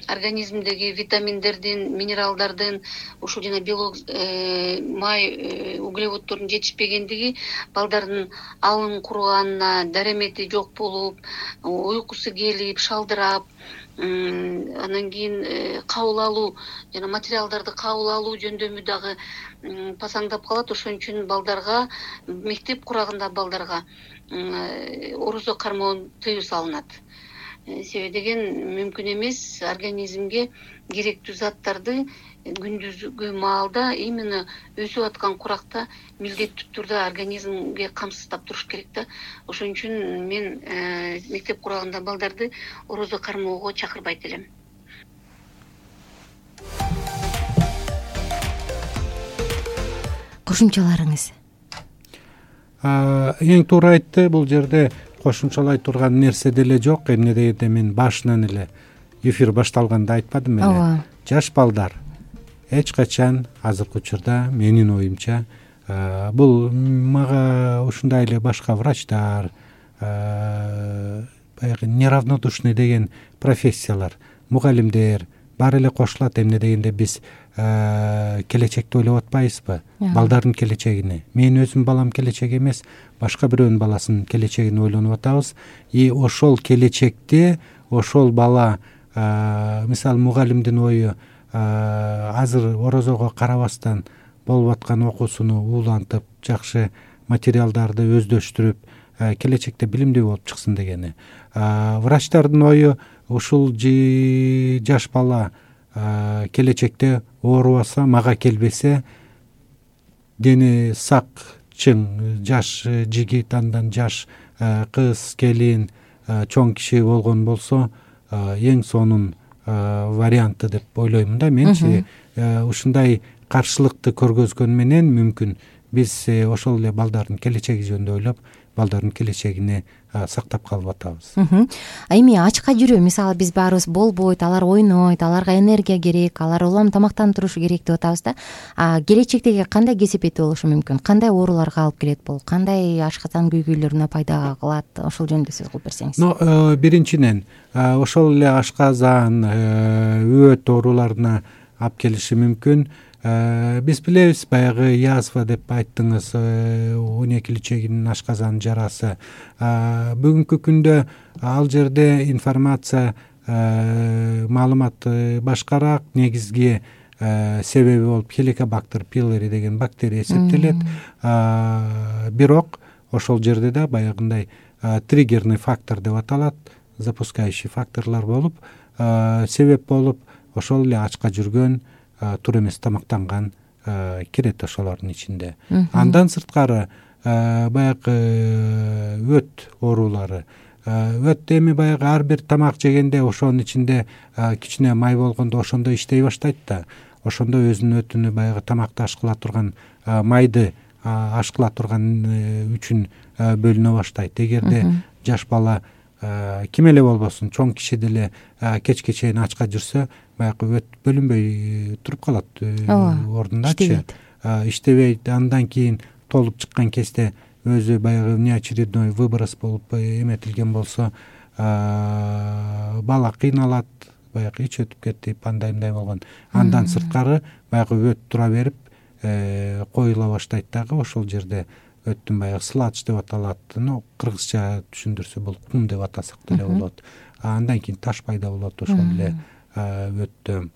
E: организмдеги витаминдердин, минералдардын, ушул жана белок, май, углеводдордун жетишпегендиги балдардын алын куруганына, даремети жок болуп, уйкусу келип, шалдырап, анан кийин кабыл алуу жана материалдарды кабыл алуу жөндөмү дагы пасаңдап калат. Ошон үчүн балдарга, мектеп курагында балдарга орозо кармоо тыюу салынат. Себеби деген мүмкүн эмес организмге керектүү заттарды күндүзгү маалда именно өсүп аткан куракта милдеттүү түрдө организмге камсыздап туруш керек да. Ошон үчүн мен мектеп курагында балдарды орозо кармоого чакырбайт элем.
B: Кошумчаларыңыз?
C: Эң туура айтты. Бул жерде кошумчалай турган нерсе деле жок. Эмне дегенде мен башынан эле эфир башталганда айтпадым эле.
B: Ооба.
C: Жаш балдар эч качан азыркы учурда менин оюмча бул мага ушундай эле башка врачтар, баягы неравнодушный деген профессиялар, мугалимдер баары эле кошулат. Эмне дегенде биз келечекти ойлоп атпайбызбы? Балдардын келечегини. Мен өзүм балам келечек эмес, башка бирөөнүн баласынын келечегин ойлонуп атабыз. И ошол келечекте ошол бала мисалы мугалимдин ою азыр орозого карабастан болуп аткан окуусуну улантып, жакшы материалдарды өздөштүрүп, келечекте билимдүү болуп чыксын дегени. Врачтардын ою ушул жаш бала келечекте оорубаса, мага келбесе, дени сак, чың, жаш жигит, андан жаш кыз, келин, чоң киши болгон болсо, эң сонун варианты деп ойлоймун да менчи. Ушундай каршылыкты көргөзгөн менен мүмкүн биз ошол эле балдардын келечеги жөнүндө ойлоп, балдардын келечегини сактап калып атабыз.
B: Эми ачка жүрүү, мисалы биз баарыбыз болбойт, алар ойнойт, аларга энергия керек, алар улам тамактанып турушу керек деп атабыз да. Келечектеги кандай кесепети болушу мүмкүн? Кандай ооруларга алып келет бул? Кандай ашказан күйгүйлөрүнө пайда кылат? Ошол жөнүндө сөз кылып берсеңиз.
C: Но биринчиден ошол эле ашказан, өт ооруларына алып келиши мүмкүн. Биз билебиз, баягы язва деп айттыңыз, он эки личегинин ашказан жарасы. Бүгүнкү күндө ал жерде информация, маалымат башкараак. Негизги себеби болуп хеликобактер пилори деген бактерия эсептелет. Бирок ошол жерде да баягындай триггерный фактор деп аталат, запускающий факторлор болуп, себеп болуп, ошол эле ачка жүргөн, туура эмес тамактанган кирет ошолордун ичинде. Андан сырткары баягы өт оорулары. Өт эми баягы ар бир тамак жегенде ошонун ичинде кичине май болгондо ошондо иштей баштайт да. Ошондо өзүнүн өтүнү баягы тамакты ашкыла турган, майды ашкыла турган үчүн бөлүнө баштайт. Эгерде жаш бала ким эле болбосун, чоң киши деле кечке чейин ачка жүрсө, баягы өт бөлүнбөй туруп калат ордундачы. Иштебейт. Андан кийин толуп чыккан кезде өзү баягы неочередной выброс болуп эметилген болсо, бала кыйналат, баягы ич өтүп кетип, андай мындай болгон. Андан сырткары баягы өт тура берип коюла баштайт дагы. Ошол жерде өттүн баягы сладж деп аталат. Ну, кыргызча түшүндүрсө бул кум деп атасак деле болот. Андан кийин таш пайда болот ошол эле өттө.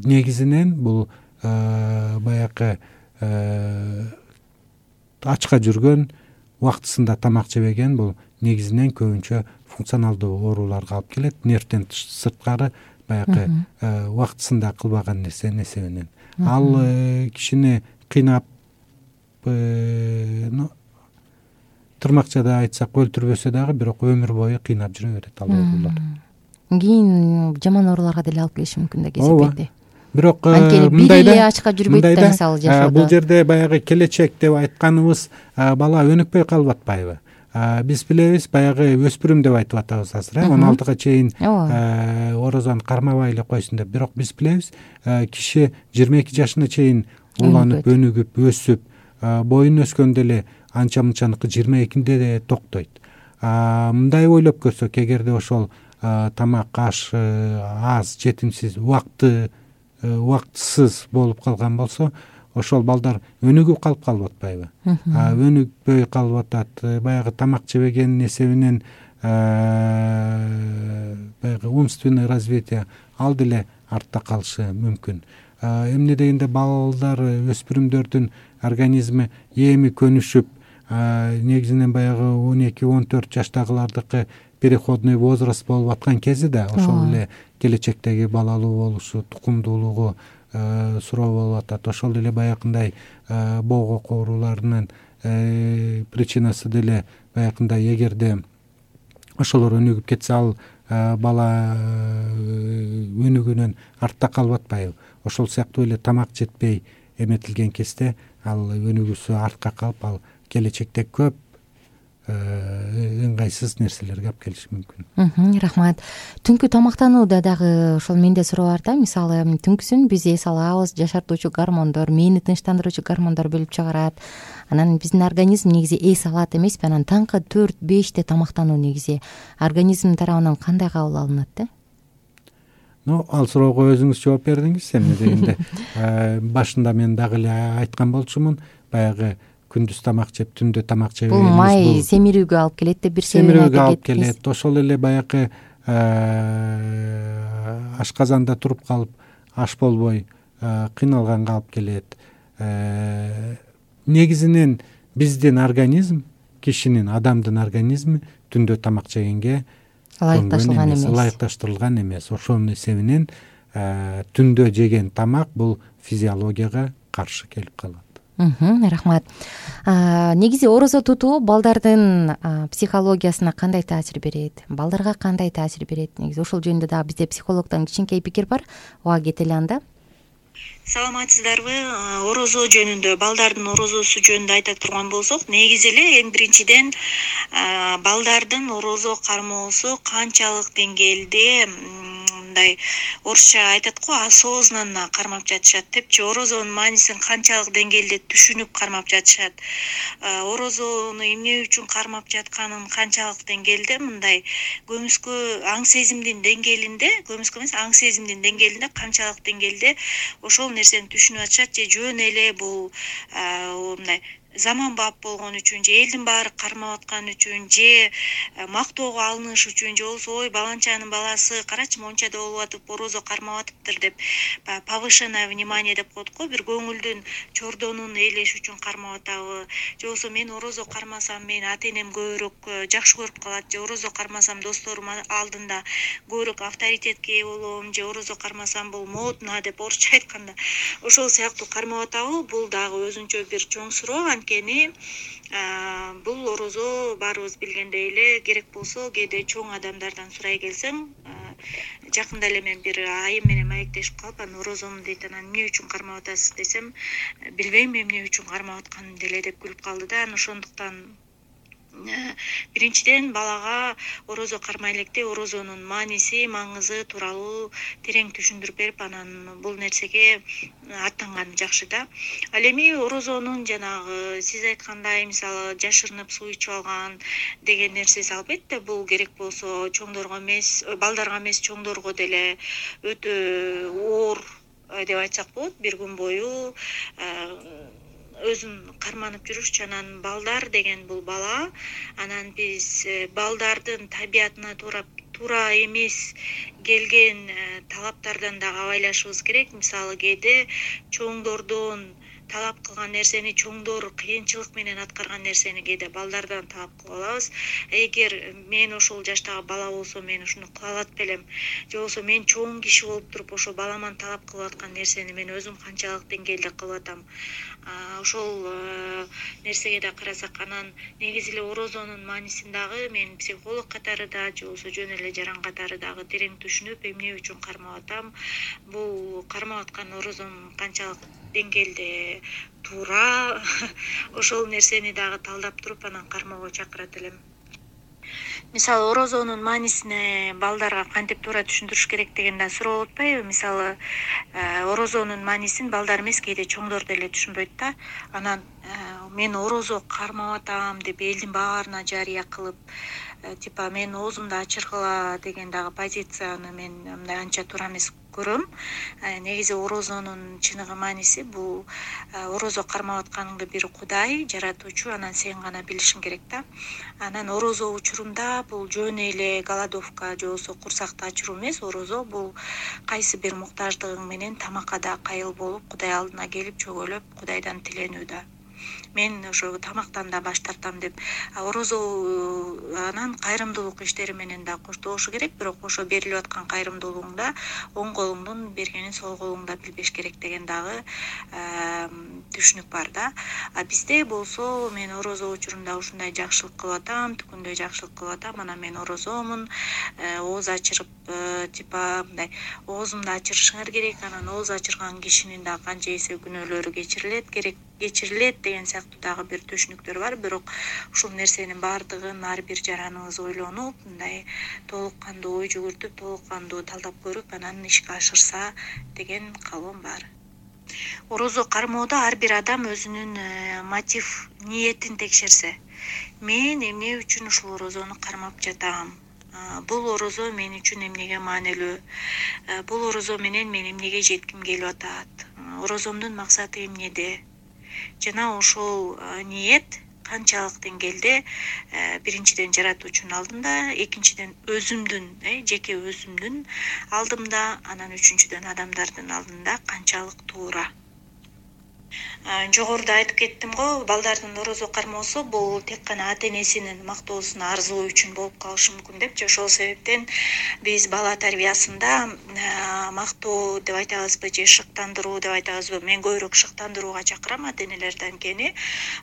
C: Негизинен бул баягы ачка жүргөн, убактысында тамак жебеген, бул негизинен көбүнчө функционалдуу ооруларга алып келет. Нервден сырткары баягы убактысында кылбаган нерсе эсебинен. Ал кишини кыйнап, тырмакчада айтсак өлтүрбөсө дагы, бирок өмүр бою кыйнап жүрө берет ал оорулар.
B: Кийин жаман ооруларга деле алып келиши мүмкүн да кесепети.
C: Бирок
B: мындай эле ачка жүрбөйт да, мисалы жашоодо.
C: Бул жерде баягы келечек деп айтканыбыз, бала өнүкпөй калып атпайбы? Биз билебиз, баягы өспүрүм деп айтып атабыз азыр, он алтыга чейин орозону кармабай эле койсун деп. Бирок биз билебиз, киши жыйырма эки жашына чейин уланып, өнүгүп, өсүп, боюн өскөндө эле анча мынчаныкы жыйырма экинде де токтойт. Мындай ойлоп көрсөк, эгерде ошол тамак, аш аз, жетимсиз, убакты убактысыз болуп калган болсо, ошол балдар өнүгүп калып калып атпайбы? Өнүкпөй калып атат. Баягы тамак жебеген эсебинен баягы умственный развитие ал деле артта калышы мүмкүн. Эмне дегенде балдар, өспүрүмдөрдүн организми эми көнүшүп, негизинен баягы он эки он төрт жаштагылардыкы переходный возраст болуп аткан кези да, ошол эле келечектеги балалуу болушу, тукумдуулугу суроо болуп атат. Ошол эле баягындай боогок ооруларынын причинасы деле баягындай, эгерде ошолор өнүгүп кетсе, ал бала өнүгүүнөн артта калып атпайбы? Ошол сыяктуу эле тамак жетпей эметилген кезде ал өнүгүүсү артка калып, ал келечекте көп ыңгайсыз нерселерге алып келиши мүмкүн.
B: Рахмат. Түнкү тамактанууда дагы ошол менде суроо бар да. Мисалы, түнкүсүн биз эс алабыз, жашартуучу гормондор, мээни тынчтандыруучу гормондор бөлүп чыгарат. Анан биздин организм негизи эс алат эмеспи? Анан таңкы төрт беште тамактануу негизи организм тарабынан кандай кабыл алынат да?
C: Ну, ал суроого өзүңүз жооп бердиңиз. Эмне дегенде башында мен дагы эле айткан болчумун, баягы күндүз тамак жеп, түндө тамак жебегенибиз,
B: бул май семирүүгө алып келет деп бир себебин айтып
C: семирүүгө алып келет. Ошол эле баягы ашказанда туруп калып аш болбой кыйналганга алып келет. Негизинен биздин организм, кишинин, адамдын организми түндө тамак жегенге
B: ылайыкташылган эмес.
C: ылайыкташтырылган эмес. Ошонун эсебинен түндө жеген тамак бул физиологияга каршы келип калат.
B: Рахмат. Негизи орозо тутуу балдардын психологиясына кандай таасир берет? Балдарга кандай таасир берет? Негизи ошол жөнүндө дагы бизде психологдон кичинекей пикир бар. Ого кетели анда.
F: Саламатсыздарбы? Орозо жөнүндө, балдардын орозосу жөнүндө айта турган болсок, негизи эле эң биринчиден балдардын орозо кармоосу канчалык деңгээлде, мындай орусча айтат го, осознанно кармап жатышат депчи, орозонун маанисин канчалык деңгээлде түшүнүп кармап жатышат, орозону эмне үчүн кармап жатканын канчалык деңгээлде, мындай көмүскө аң сезимдин деңгээлинде, көмүскө эмес, аң сезимдин деңгээлинде канчалык деңгээлде ошол нерсени түшүнүп атышат, же жөн эле бул мындай заманбап болгон үчүн, же элдин баары кармап аткан үчүн, же мактоого алыныш үчүн, же болбосо ой баланчанын баласы карачы монча да болуп атып орозо кармап атыптыр деп повышенное внимание деп коет го, бир көңүлдүн чордонун ээлеш үчүн кармап атабы, же болбосо мен орозо кармасам мени ата энем көбүрөөк жакшы көрүп калат, же орозо кармасам досторум алдында көбүрөөк авторитетке ээ болом, же орозо кармасам бул модно деп орусча айтканда ошол сыяктуу кармап атабы, бул дагы өзүнчө бир чоң суроо. Анткени бул орозо баарыбыз билгендей эле, керек болсо кээде чоң адамдардан сурай келсең, жакында эле мен бир айым менен маектешип калып, анан орозомун дейт, анан эмне үчүн кармап атасыз десем, билбейм эмне үчүн кармап атканын деле деп күлүп калды да. Анан ошондуктан биринчиден балага орозо кармай электе орозонун мааниси, маңызы тууралуу терең түшүндүрүп берип, анан бул нерсеге аттанган жакшы да. Ал эми орозонун жанагы сиз айткандай, мисалы жашырынып суу ичип алган деген нерсеси албетте бул керек болсо чоңдорго эмес, балдарга эмес, чоңдорго деле өтө оор деп айтсак болот. Бир күн бою өзүн карманып жүрүшчү. Анан балдар деген бул бала, анан биз балдардын табиятына туура туура эмес келген талаптардан дагы абайлашыбыз керек. Мисалы кээде чоңдордон талап кылган нерсени, чоңдор кыйынчылык менен аткарган нерсени кээде балдардан талап кылып алабыз. Эгер мен ошол жаштагы бала болсом, мен ушуну кыла алат белем, же болбосо мен чоң киши болуп туруп ошо баламан талап кылып аткан нерсени мен өзүм канчалык деңгээлде кылып атам. Ошол нерсеге да карасак, анан негизи эле орозонун маанисин дагы мен психолог катары да, же болбосо жөн эле жаран катары дагы терең түшүнүп, эмне үчүн кармап атам, бул кармап аткан орозом канчалык деңгээлде туура, ошол нерсени дагы талдап туруп анан кармоого чакырат элем. Мисалы орозонун маанисине балдарга кантип туура түшүндүрүш керек деген да суроо болуп атпайбы? Мисалы орозонун маанисин балдар эмес, кээде чоңдор деле түшүнбөйт да. Анан мен орозо кармап атам деп элдин баарына жарыя кылып, типа мен оозумду ачыргыла деген дагы позицияны мен мындай анча туура эмес көрөм. Негизи орозонун чыныгы мааниси бул орозо кармап атканыңды бир Кудай, жаратуучу, анан сен гана билишиң керек да. Анан орозо учурунда бул жөн эле голодовка же болбосо курсакты ачыруу эмес, орозо бул кайсы бир муктаждыгың менен тамакка да кайыл болуп, Кудай алдына келип чөгөлөп, Кудайдан тиленүү да. Мен ошо тамактан да баш тартам деп, орозо анан кайрымдуулук иштери менен да коштолушу керек, бирок ошо берилип аткан кайрымдуулугуңда оң колуңдун бергенин сол колуңда билбеш керек деген дагы түшүнүк бар да. А бизде болсо мен орозо учурунда ушундай жакшылык кылып атам, түкүндөй жакшылык кылып атам, анан мен орозомун, ооз ачырып, типа мындай оозумду ачырышыңар керек, анан ооз ачырган кишинин да канча эсе күнөөлөрү кечирилет, керек кечирилет деген сыяктуу дагы бир түшүнүктөр бар. Бирок ушул нерсенин баардыгын ар бир жараныбыз ойлонуп, мындай толук кандуу ой жүгүртүп, толук кандуу талдап көрүп, анан ишке ашырса деген каалоом бар. Орозо кармоодо ар бир адам өзүнүн мотив, ниетин текшерсе, мен эмне үчүн ушул орозону кармап жатам? Бул орозо мен үчүн эмнеге маанилүү? Бул орозо менен мен эмнеге жетким келип атат? Орозомдун максаты эмнеде? Жана ошол ниет канчалык деңгээлде биринчиден жаратуучунун алдында, экинчиден өзүмдүн жеке өзүмдүн алдымда, анан үчүнчүдөн адамдардын алдында канчалык туура. Жогоруда айтып кеттим го, балдардын орозо кармоосу бул тек гана ата энесинин мактоосуна арзуу үчүн болуп калышы мүмкүн деп, ошол себептен биз бала тарбиясында мактоо деп айтабызбы же шыктандыруу деп айтабызбы, мен көбүрөөк шыктандырууга чакырам ата энелерди. Анткени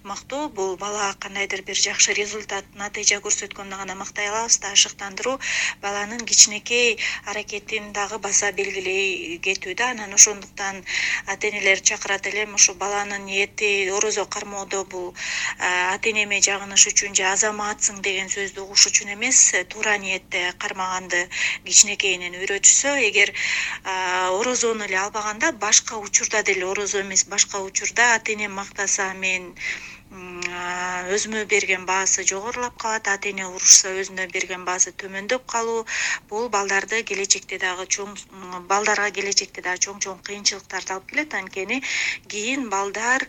F: мактоо бул бала кандайдыр бир жакшы результат, натыйжа көрсөткөндө гана мактай алабыз да, шыктандыруу баланын кичинекей аракетин дагы баса белгилей кетүү да. Анан ошондуктан ата энелер чакырат элем, ушу баланын ниети орозо кармоодо бул ата энеме жагыныш үчүн же азаматсың деген сөздү угуш үчүн эмес, туура ниетте кармаганды кичинекейинен үйрөтүшсө, эгер орозону эле албаганда, башка учурда деле орозо эмес, башка учурда ата энем мактаса мен өзүмө берген баасы жогорулап калат, ата эне урушса өзүнө берген баасы төмөндөп калуу, бул балдарды келечекте дагы чоң балдарга келечекте дагы чоң-чоң кыйынчылыктарды алып келет. Анткени кийин балдар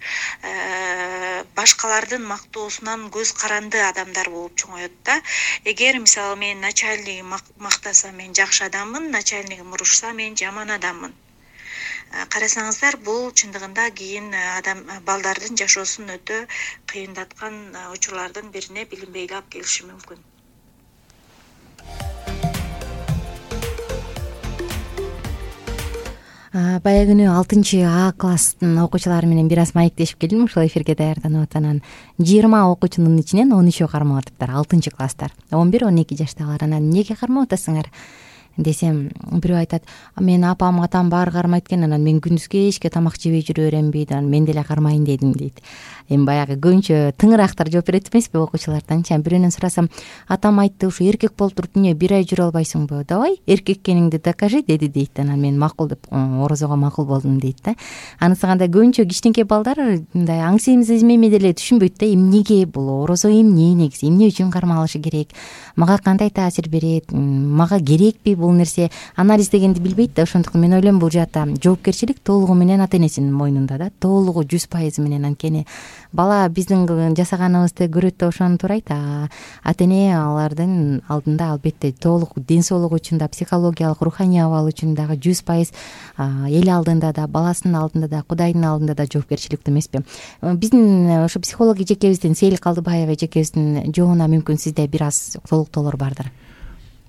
F: башкалардын мактоосунан көз каранды адамдар болуп чоңоет да. Эгер мисалы мен начальнигим мактаса мен жакшы адаммын, начальнигим урушса мен жаман адаммын. Карасаңыздар, бул чындыгында кийин адам балдардын жашоосун өтө кыйындаткан учурлардын бирине билинбей алып келиши мүмкүн.
B: Баягы күнү алтынчы А класстын окуучулары менен бир аз маектешип келдим, ушул эфирге даярданып атанан жыйырма окуучунун ичинен он үчөө кармап атыптыр, алтынчы класстар, он бир он эки жаштагылар. Анан эмнеге кармап атасыңар десем, бирөө айтат, мен апам атам баары кармайт экен, анан мен күндүз кечке тамак жебей жүрө беремби, анан мен деле кармайын дедим дейт. Эми баягы көбүнчө тыңыраактар жооп берет эмеспи окуучулардан. Бирөөнөн сурасам, атам айтты, ушу эркек болуп туруп эмне бир ай жүрө албайсыңбы? Давай эркек экениңди докажи деди дейт. Анан мен макул деп орозого макул болдум дейт да. Анысы кандай, көбүнчө кичинекей балдар мындай аң семиз эми деле түшүнбөйт да, эмнеге бул орозо эмне, негизи эмне үчүн кармалышы керек, мага кандай таасир берет, мага керекпи бул нерсе, анализдегенди билбейт да. Ошондуктан мен ойлойм, бул жаатта жоопкерчилик толугу менен ата энесинин мойнунда да, толугу жүз пайыз менен. Анткени бала биздин жасаганыбызды көрөт да ошону турайт. Ата эне алардын алдында албетте толук ден соолугу үчүн да, психологиялык, руханий абалы үчүн дагы жүз пайыз эл алдында да, баласынын алдында да, Кудайдын алдында да жоопкерчиликтүү эмеспи? Биздин ошо психолог эжекебиздин, Сейил Калдыбаева эжекебиздин жообуна мүмкүн сизде бир аз толуктоолор бардыр.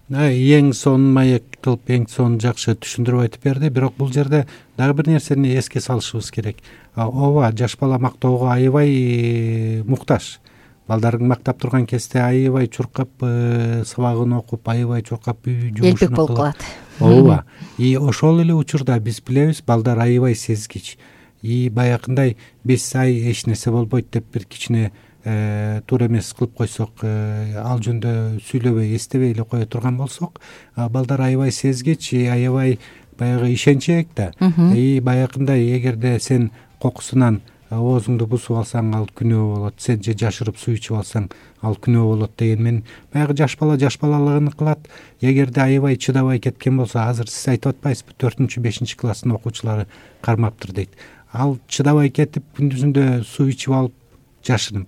C: Эң сонун маек кылып, эң сонун жакшы түшүндүрүп айтып берди. Бирок бул жерде дагы бир нерсени эске салышыбыз керек. Ооба, жаш бала мактоого аябай муктаж. Балдарын мактап турган кезде аябай чуркап сабагын окуп, аябай чуркап жумушун
B: элпек болуп калат.
C: Ооба. И ошол эле учурда биз билебиз, балдар аябай сезгич. И баягындай биз ай эч нерсе болбойт деп бир кичине туура эмес кылып койсок, ал жөнүндө сүйлөбөй, эстебей эле кое турган болсок, балдар аябай сезгич, аябай баягы ишенчээк да. И баягындай эгерде сен кокусунан оозуңду бусуп алсаң, ал күнөө болот, сен же жашырып суу ичип алсаң, ал күнөө болот деген мен баягы жаш бала жаш балалыгын кылат. Эгерде аябай чыдабай кеткен болсо, азыр сиз айтып атпайсызбы, төртүнчү бешинчи класстын окуучулары кармаптыр дейт. Ал чыдабай кетип күндүзүндө суу ичип алып жашынып,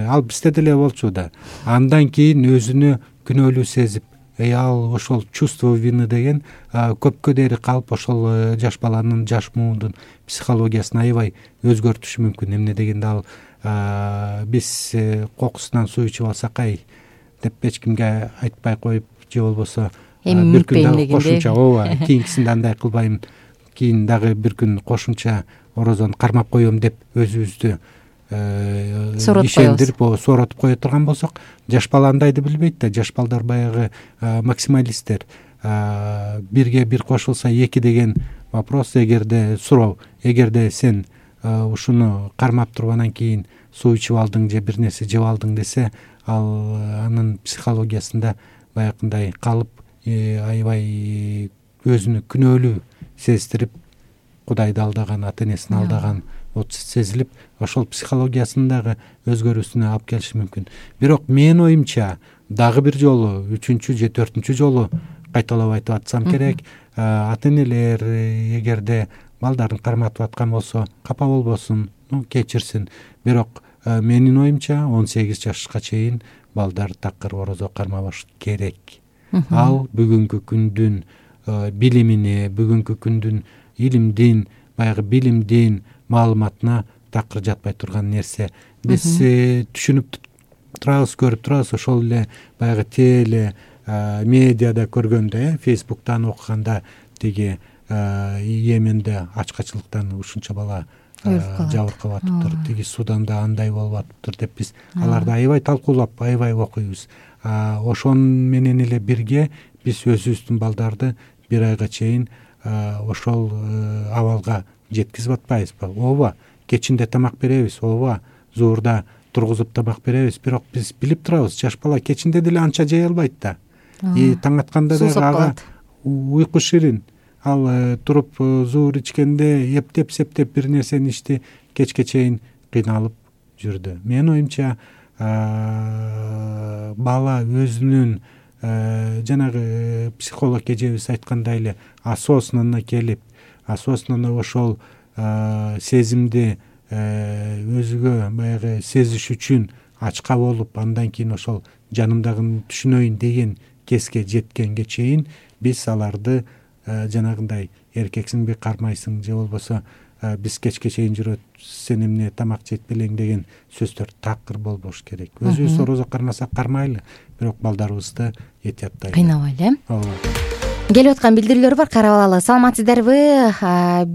C: ал бизде деле болчу да. Андан кийин өзүнө күнөөлүү сезип, ал ошол чувство вины деген көпкө дейри калып, ошол жаш баланын, жаш муундун психологиясын аябай өзгөртүшү мүмкүн. Эмне дегенде ал биз кокусунан суу ичип алсак, ай деп эч кимге айтпай коюп, же болбосо бир күн дагы кошумча, ооба, кийинкисинде андай кылбайм, кийин дагы бир күн кошумча орозону кармап коем деп өзүбүздү ишендирип, сооротуп кое турган болсок, жаш бала андайды билбейт да. Жаш балдар баягы максималисттер. Бирге бир кошулса эки деген вопрос, эгерде суроо, эгерде сен ушуну кармап тургандан кийин суу ичип алдың же бир нерсе жеп алдың десе, ал анын психологиясында баягындай калып, аябай өзүнү күнөөлүү сездирип, Кудайды алдаган, ата энесин алдаган сезилип, ошол психологиясындагы өзгөрүүсүнө алып келиши мүмкүн. Бирок менин оюмча дагы бир жолу, үчүнчү же төртүнчү жолу кайталап айтып атсам керек, ата энелер эгерде балдарын карматып аткан болсо, капа болбосун, кечирсин. Бирок менин оюмча он сегиз жашка чейин балдар такыр орозо кармабаш керек. Ал бүгүнкү күндүн билимине, бүгүнкү күндүн илимдин, баягы билимдин маалыматына такыр жатпай турган нерсе. Биз түшүнүп турабыз, көрүп турабыз, ошол эле баягы теле медиада көргөндө, фейсбуктан окуганда тиги Йеменде ачкачылыктан ушунча бала жабыркап атыптыр, тиги Суданда андай болуп атыптыр деп биз аларды аябай талкуулап, аябай окуйбуз. Ошон менен эле бирге биз өзүбүздүн балдарды бир айга чейин ошол абалга жеткизип атпайбызбы? Ооба, кечинде тамак беребиз, ооба, зуурда тургузуп тамак беребиз, бирок биз билип турабыз, жаш бала кечинде деле анча жей албайт да. И таң атканда да ага уйку ширин. Ал туруп зуур ичкенде эптеп-септеп бир нерсени ичти, кечке чейин кыйналып жүрдү. Менин оюмча бала өзүнүн жанагы психолог эжебиз айткандай эле осознанно келип, осознанно ошол сезимди өзүгө баягы сезиш үчүн ачка болуп, андан кийин ошол жанымдагыны түшүнөйүн деген кеске жеткенге чейин биз аларды жанагындай эркексиңби, кармайсың, же болбосо биз кечке чейин жүрөт, сен эмне тамак жейт белең деген сөздөр такыр болбош керек. Өзүбүз орозо кармасак кармайлы, бирок балдарыбызды этияттайлы,
B: кыйнабайлы. Ооба. Келип аткан билдирүүлөр бар, карап алалы. Саламатсыздарбы?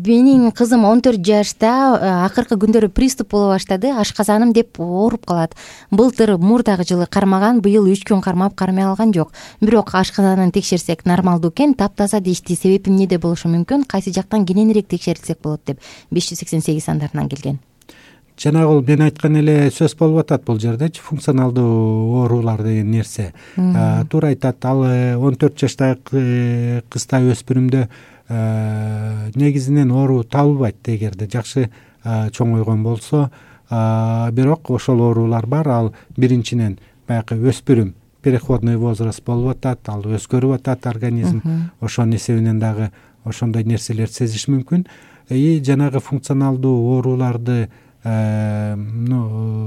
B: Менин кызым он төрт жашта, акыркы күндөрү приступ боло баштады. Ашказаным деп ооруп калат. Былтыр мурдагы жылы кармаган, быйыл үч күн кармап кармай алган жок. Бирок ашказанын текшерсек нормалдуу экен, таптаза дешти. Себеби эмнеде болушу мүмкүн? Кайсы жактан кененирээк текшертсек болот деп беш жүз сексен сегиз сандарынан келген.
C: Жанагы мен айткан эле сөз болуп атат бул жердечи, функционалдуу оорулар деген нерсе. Туура айтат. Ал он төрт жаштагы кызда, өспүрүмдө негизинен оору табылбайт эгерде жакшы чоңойгон болсо. Бирок ошол оорулар бар. Ал биринчиден баягы өспүрүм, переходной возраст болуп атат, ал өзгөрүп атат организм. Ошонун эсебинен дагы ошондой нерселерди сезиш мүмкүн. И жанагы функционалдуу ооруларды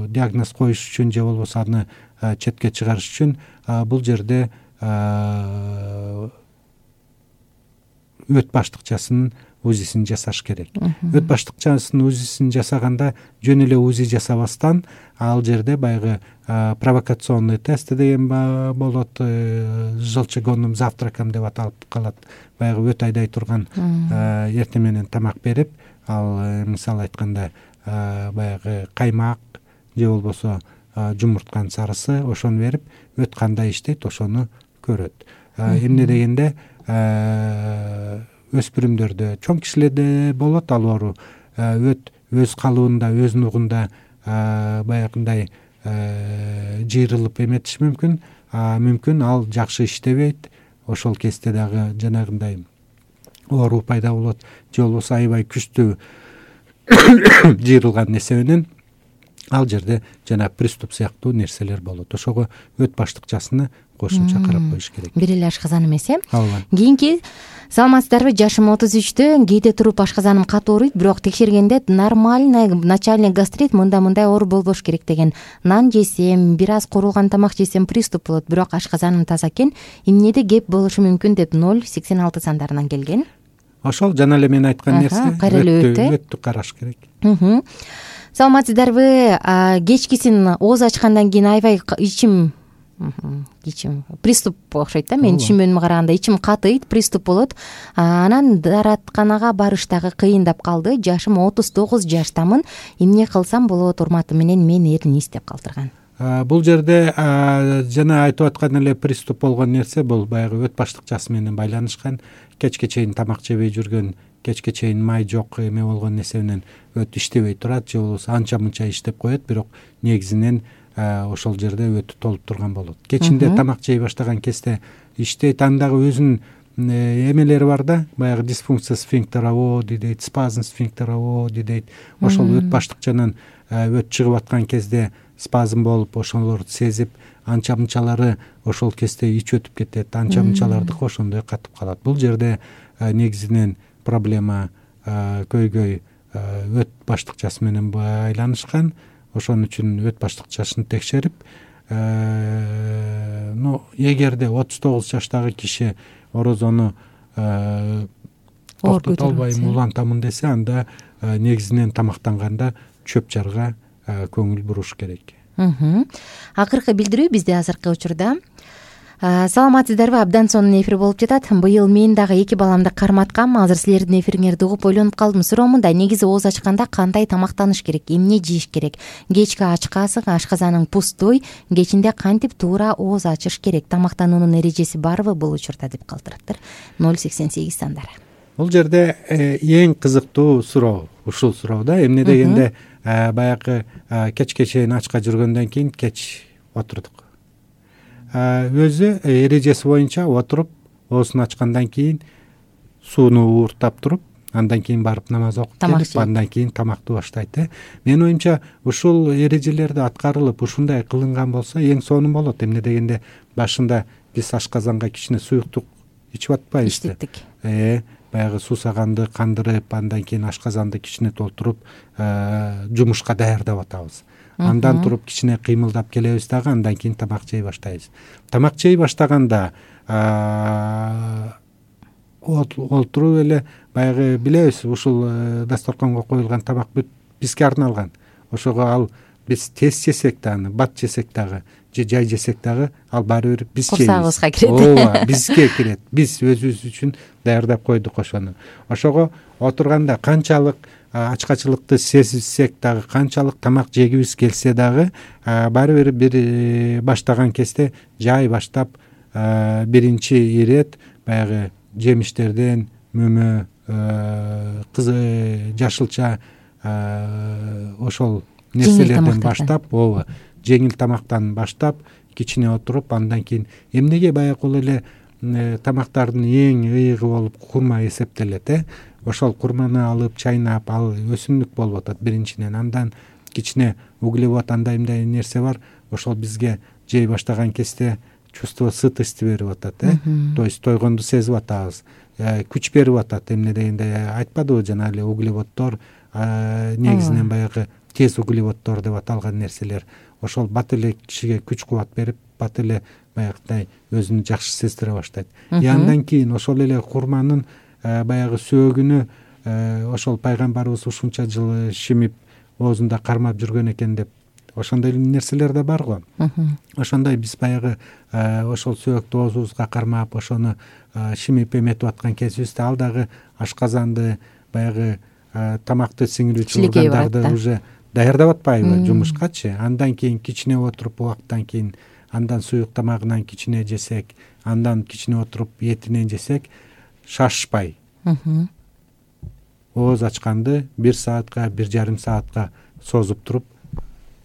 C: диагноз коюш үчүн же болбосо аны четке чыгарыш үчүн бул жерде өт баштыкчасынын узисин жасаш керек. Өт баштыкчасынын узисин жасаганда жөн эле узи жасабастан ал жерде баягы провокационный тест деген болот, желчегонным завтраком деп аталып калат. Баягы өт айдай турган эртең менен тамак берип, ал мисалы айтканда баягы каймак же болбосо жумуртканын сарысы, ошону берип, өт кандай иштейт ошону көрөт. Эмне дегенде өспүрүмдөрдө, чоң кишилерде болот ал оору. Өт өз калыбында, өз нугунда баягындай жыйрылып эметиши мүмкүн. Мүмкүн ал жакшы иштебейт. Ошол кезде дагы жанагындай оору пайда болот, же болбосо аябай күчтүү жыйрылган нерсе менен ал жерде жана приступ сыяктуу нерселер болот. Ошого өт баштыкчасыны кошумча карап коюш керек.
B: Бир эле ашказан эмес, э?
C: Ооба.
B: Кийинки, саламатсыздарбы? Жашым отуз үчтө, кээде туруп ашказаным катуу ооруйт, бирок текшергенде нормальный начальный гастрит, мындай-мындай оору болбош керек деген. Нан жесем, бир аз куурулган тамак жесем приступ болот, бирок ашказаным таза экен. Эмнеде кеп болушу мүмкүн деп ноль сексен алты сандарынан келген.
C: Ошол жана эле мен айткан нерсе, өттү караш керек.
B: Саламатсыздарбы? Кечкисин ооз ачкандан кийин аябай ичим ичим приступ окшойт да, менин түшүнбөмүмө караганда ичим катыйт, приступ болот. Анан дааратканага барыш дагы кыйындап калды. Жашым отуз тогуз жаштамын. Эмне кылсам болот, урматы менен мени эрниз деп калтырган.
C: Бул жерде жана айтып аткан эле приступ болгон нерсе бул баягы өт баштыкчасы менен байланышкан. Кечке чейин тамак жебей жүргөн, кечке чейин май жок эме болгон нерсе менен өт иштебей турат, же болбосо анча-мынча иштеп коет, бирок негизинен ошол жерде өтү толуп турган болот. Кечинде тамак жей баштаган кезде иштейт, андагы өзүнүн эмелери бар да, баягы дисфункция сфинктера оди дейт, спазм сфинктера оди дейт. Ошол өт баштыкчанан өт чыгып аткан кезде спазм болуп, ошолорду сезип, анча-мынчалары ошол кезде ич өтүп кетет, анча-мынчалардыкы ошондой катып калат. Бул жерде негизинен проблема көйгөй өт баштыкчасы менен байланышкан. ошон үчүн өт баштык жашын текшерип, ну эгерде отуз тогуз жаштагы киши орозону токтото албайм, улантамын десе, анда негизинен тамактанганда чөп жарга көңүл буруш керек.
B: Акыркы билдирүү бизде азыркы учурда. Саламатсыздарбы? Абдан сонун эфир болуп жатат. Быйыл мен дагы эки баламды карматкам. Азыр силердин эфириңерди угуп ойлонуп калдым. Суроо мындай: негизи ооз ачканда кандай тамактаныш керек, эмне жеш керек? Кечки ачкасы, ашказаның пустой, кечинде кантип туура ооз ачыш керек? Тамактануунун эрежеси барбы бул учурда деп калтыраттыр. ноль сексен сегиз сандары.
C: Бул жерде эң кызыктуу суроо ушул суроо да. Эмне дегенде баягы кечке чейин ачка жүргөндөн кийин кеч отурдук. Өзү эрежеси боюнча отуруп, оозун ачкандан кийин сууну ууртап туруп, андан кийин барып намаз окуп келип, андан кийин тамакты баштайт. Менин оюмча ушул эрежелерди аткарылып, ушундай кылынган болсо эң сонун болот. Эмне дегенде башында биз ашказанга кичине суюктук ичип атпайбыз.
B: Иштеттик.
C: Э, баягы суусаганды кандырып, андан кийин ашказанды кичине толтуруп, жумушка даярдап атабыз. Андан туруп кичине кыймылдап келебиз дагы, андан кийин тамак жей баштайбыз. Тамак жей баштаганда олтуруп эле баягы билебиз, ушул дасторконго коюлган тамак бүт бизге арналган. Ошого ал биз тез жесек дагы, бат жесек дагы, же жай жесек дагы, ал баары бир биз жейбиз.
B: Курсагыбызга кирет.
C: Ооба, бизге кирет. Биз өзүбүз үчүн даярдап койдук ошону. Ошого отурганда канчалык ачкачылыкты сезсек дагы, канчалык тамак жегибиз келсе дагы, баары бир бир баштаган кезде жай баштап биринчи ирет баягы жемиштерден, мөмө, кызы, жашылча ошол нерселерден баштап, ооба, жеңил тамактан баштап, кичине отуруп, андан кийин эмнеге баягы эле тамактардын эң ыйыгы болуп курма эсептелет, э? Ошол курманы алып, чайнап, ал өсүмдүк болуп атат биринчиден. Андан кичине углевод, андай мындай нерсе бар. Ошол бизге жей баштаган кезде чувство сытости берип атат, э? То есть тойгонду сезип атабыз. Күч берип атат. Эмне дегенде айтпадыбы жана эле углеводдор негизинен баягы тез углеводдор деп аталган нерселер. Ошол бат эле кишиге күч кубат берип, бат эле баягыдай өзүн жакшы сездире баштайт. И андан кийин ошол эле курманын баягы сөөгүнү ошол пайгамбарыбыз ушунча жыл шимип оозунда кармап жүргөн экен деп, ошондой нерселер да бар го. Ошондой биз баягы ошол сөөктү оозубузга кармап, ошону шимип эметип аткан кезибизде, ал дагы ашказанды, баягы тамакты сиңирүүчү органдарды уже даярдап атпайбы жумушкачы. Андан кийин кичине отуруп, убакыттан кийин андан суюк тамагынан кичине жесек, андан кичине отуруп этинен жесек, шашпай ооз ачканды бир саатка, бир жарым саатка созуп туруп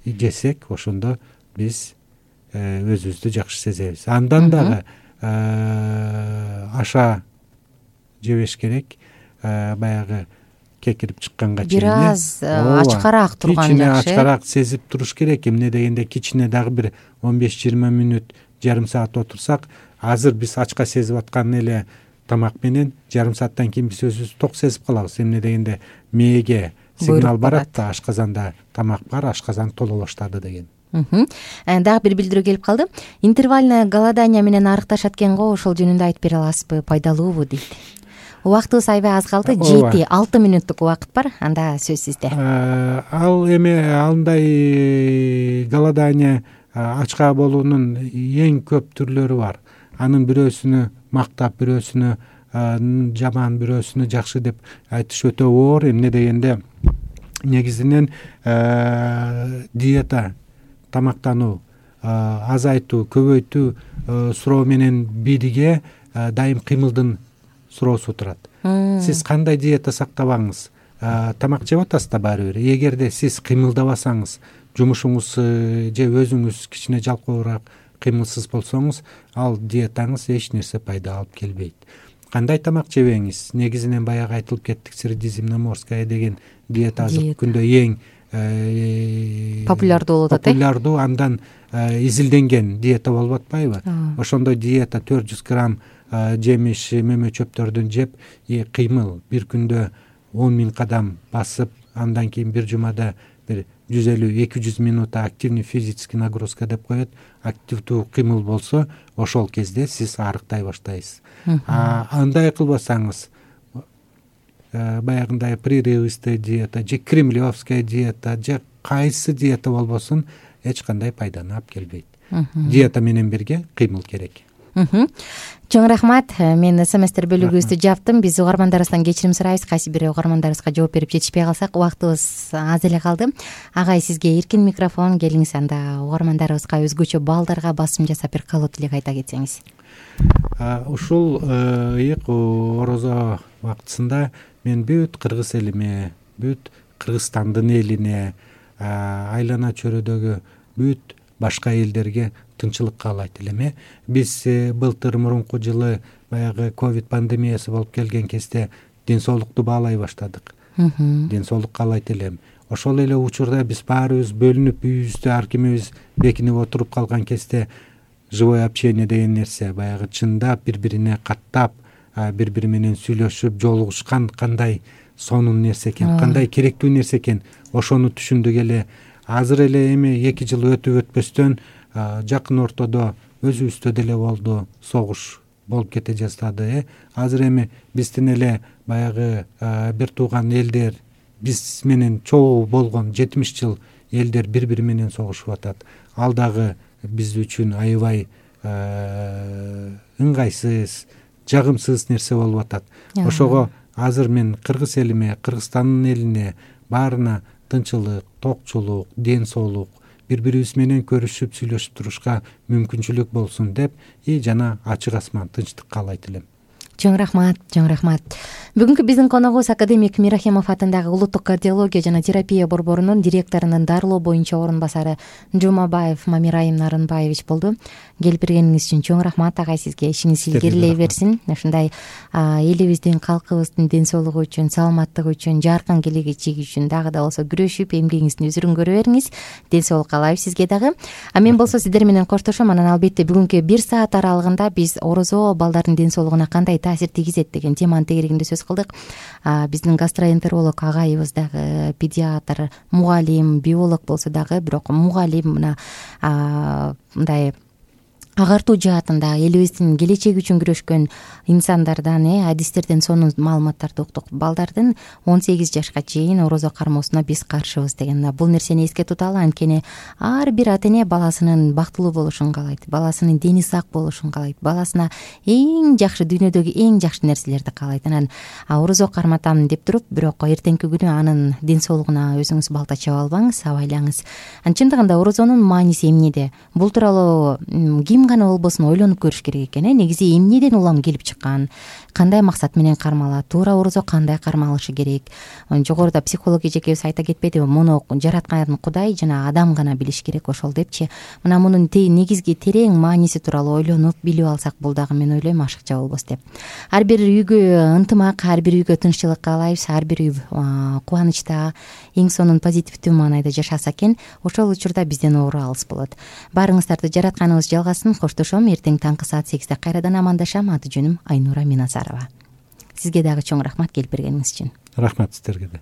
C: жесек, ошондо биз өзүбүздү жакшы сезебиз. Андан дагы аша жебеш керек, баягы кекирип чыкканга чейин
B: бир аз ачкараак турган жакшы.
C: Кичине ачкараак сезип туруш керек. Эмне дегенде кичине дагы бир он беш жыйырма мүнөт, жарым саат отурсак, азыр биз ачка сезип аткан эле тамак менен жарым сааттан кийин биз өзүбүз ток сезип калабыз. Эмне дегенде мээге сигнал барат да, ашказанда тамак бар, ашказан толо баштады деген.
B: Дагы бир билдирүү келип калды. Интервальное голодание менен арыкташат экен го, ошол жөнүндө айтып бере аласызбы, пайдалуубу дейт. Убактыбыз аябай аз калды, жети алты мүнөттүк убакыт бар, анда сөз сизде.
C: Ал эме андай голодание ачка болуунун эң көп түрлөрү бар. Анын бирөөсүнү мактап, бирөөсүнү жаман, бирөөсүнү жакшы деп айтыш өтө оор. Эмне дегенде негизинен диета, тамактануу, азайтуу, көбөйтүү суроо менен бирге дайым кыймылдын суроосу турат. Сиз кандай диета сактабаңыз, тамак жеп атасыз да баары бир. Эгерде сиз кыймылдабасаңыз, жумушуңуз же өзүңүз кичине жалкоораак, кыймылсыз болсоңуз, ал диетаңыз эч нерсе пайда алып келбейт. Кандай тамак жебеңиз? Негизинен баягы айтылып кеттик, средиземноморская деген диета азыркы күндө эң
B: популярдуу болуп атат.
C: Популярдуу, андан изилденген диета болуп атпайбы? Ошондой диета төрт жүз грамм жемиш, мөмө чөптөрдүн жеп, кыймыл бир күндө он миң кадам басып, андан кийин бир жумада бир жүз элүү эки жүз минут активный физический нагрузка деп коет. Активдүү кыймыл болсо ошол кезде сиз арыктай баштайсыз. Андай кылбасаңыз, баягындай прерывистая диета же кремлевская диета же кайсы диета болбосун эч кандай пайданы алып келбейт. Диета менен бирге кыймыл керек.
B: Чоң рахмат. Мен смстер бөлүгүбүздү жаптым. Биз угармандарыбыздан кечирим сурайбыз. Кайсы бир угармандарыбызга жооп берип жетишпей калсак, убактыбыз аз эле калды. Агай, сизге эркин микрофон. Келиңиз, анда угармандарыбызга өзгөчө балдарга басым жасап бир калуу тилек айта кетсеңиз.
C: Ушул ыйык орозо убактысында мен бүт кыргыз элиме, бүт Кыргызстандын элине, айлана чөйрөдөгү бүт башка элдерге тынчылык каалайт элем. Биз былтыр мурунку жылы баягы ковид пандемиясы болуп келген кезде ден соолукту баалай баштадык. Ден соолук каалайт элем. Ошол эле учурда биз баарыбыз бөлүнүп, үйүбүздө ар кимибиз бекинип отуруп калган кезде живое общение деген нерсе, баягы чындап бири-бирине каттап, бири-бири менен сүйлөшүп жолугушкан кандай сонун нерсе экен, кандай керектүү нерсе экен, ошону түшүндүк эле. Азыр эле эми эки жыл өтүп өтпөстөн жакын ортодо өзүбүздө деле болду, согуш болуп кете жаздады. Азыр эми биздин эле баягы бир тууган элдер, биз менен чогуу болгон жетимиш жыл элдер бири-бири менен согушуп атат. Ал дагы биз үчүн аябай ыңгайсыз, жагымсыз нерсе болуп атат. Ошого азыр мен кыргыз элиме, Кыргызстандын элине баарына тынчылык, токчулук, ден соолук, бири-бирибиз менен көрүшүп, сүйлөшүп турушка мүмкүнчүлүк болсун деп и жана ачык асман, тынчтык каалайт элем.
B: Чоң рахмат, чоң рахмат. Бүгүнкү биздин коногубуз академик Мирахимов атындагы Улуттук кардиология жана терапия борборунун директорунун дарылоо боюнча орун басары Жумабаев Мамирайым Нарынбаевич болду. Келип бергениңиз үчүн чоң рахмат агай, сизге. Ишиңиз илгерилей берсин. Ушундай элибиздин, калкыбыздын ден соолугу үчүн, саламаттыгы үчүн, жаркын келечеги үчүн дагы да болсо күрөшүп, эмгегиңиздин үзүрүн көрө бериңиз. Ден соолук каалайбыз сизге дагы. А мен болсо сиздер менен коштошом. Анан албетте бүгүнкү бир саат аралыгында биз орозо балдардын ден соолугуна кандай таасир тийгизет деген теманын тегерегинде сөз кылдык. Биздин гастроэнтеролог агайыбыз дагы педиатр, мугалим, биолог болсо дагы, бирок мугалим мына мындай агартуу жаатында элибиздин келечеги үчүн күрөшкөн инсандардан, э адистерден сонун маалыматтарды уктук. Балдардын он сегиз жашка чейин орозо кармоосуна биз каршыбыз деген. Бул нерсени эске туталы, анткени ар бир ата эне баласынын бактылуу болушун каалайт, баласынын дени сак болушун каалайт, баласына эң жакшы, дүйнөдөгү эң жакшы нерселерди каалайт. Анан орозо карматам деп туруп, бирок эртеңки күнү анын ден соолугуна өзүңүз балта чаба албаңыз, абайлаңыз. Анын чындыгында орозонун мааниси эмнеде? Бул тууралуу ким гана болбосун ойлонуп көрүш керек экен. Э негизи эмнеден улам келип чыккан, кандай максат менен кармалат, туура орозо кандай кармалышы керек? Жогоруда психолог эжекебиз айта кетпедиби, муну жараткан Кудай жана адам гана билиш керек, ошол депчи. Мына мунун негизги терең мааниси тууралуу ойлонуп билип алсак, бул дагы мен ойлойм ашыкча болбос деп. Ар бир үйгө ынтымак, ар бир үйгө тынччылык каалайбыз, ар бир үй кубанычта, эң сонун позитивдүү маанайда жашаса экен, ошол учурда бизден оору алыс болот. Баарыңыздарды жаратканыбыз жалгасын. Коштошом. Эртең таңкы саат сегизде кайрадан амандашам. Аты жөнүм Айнура Минасарова. Сизге дагы чоң рахмат келип бергениңиз үчүн.
C: Рахмат сиздерге да.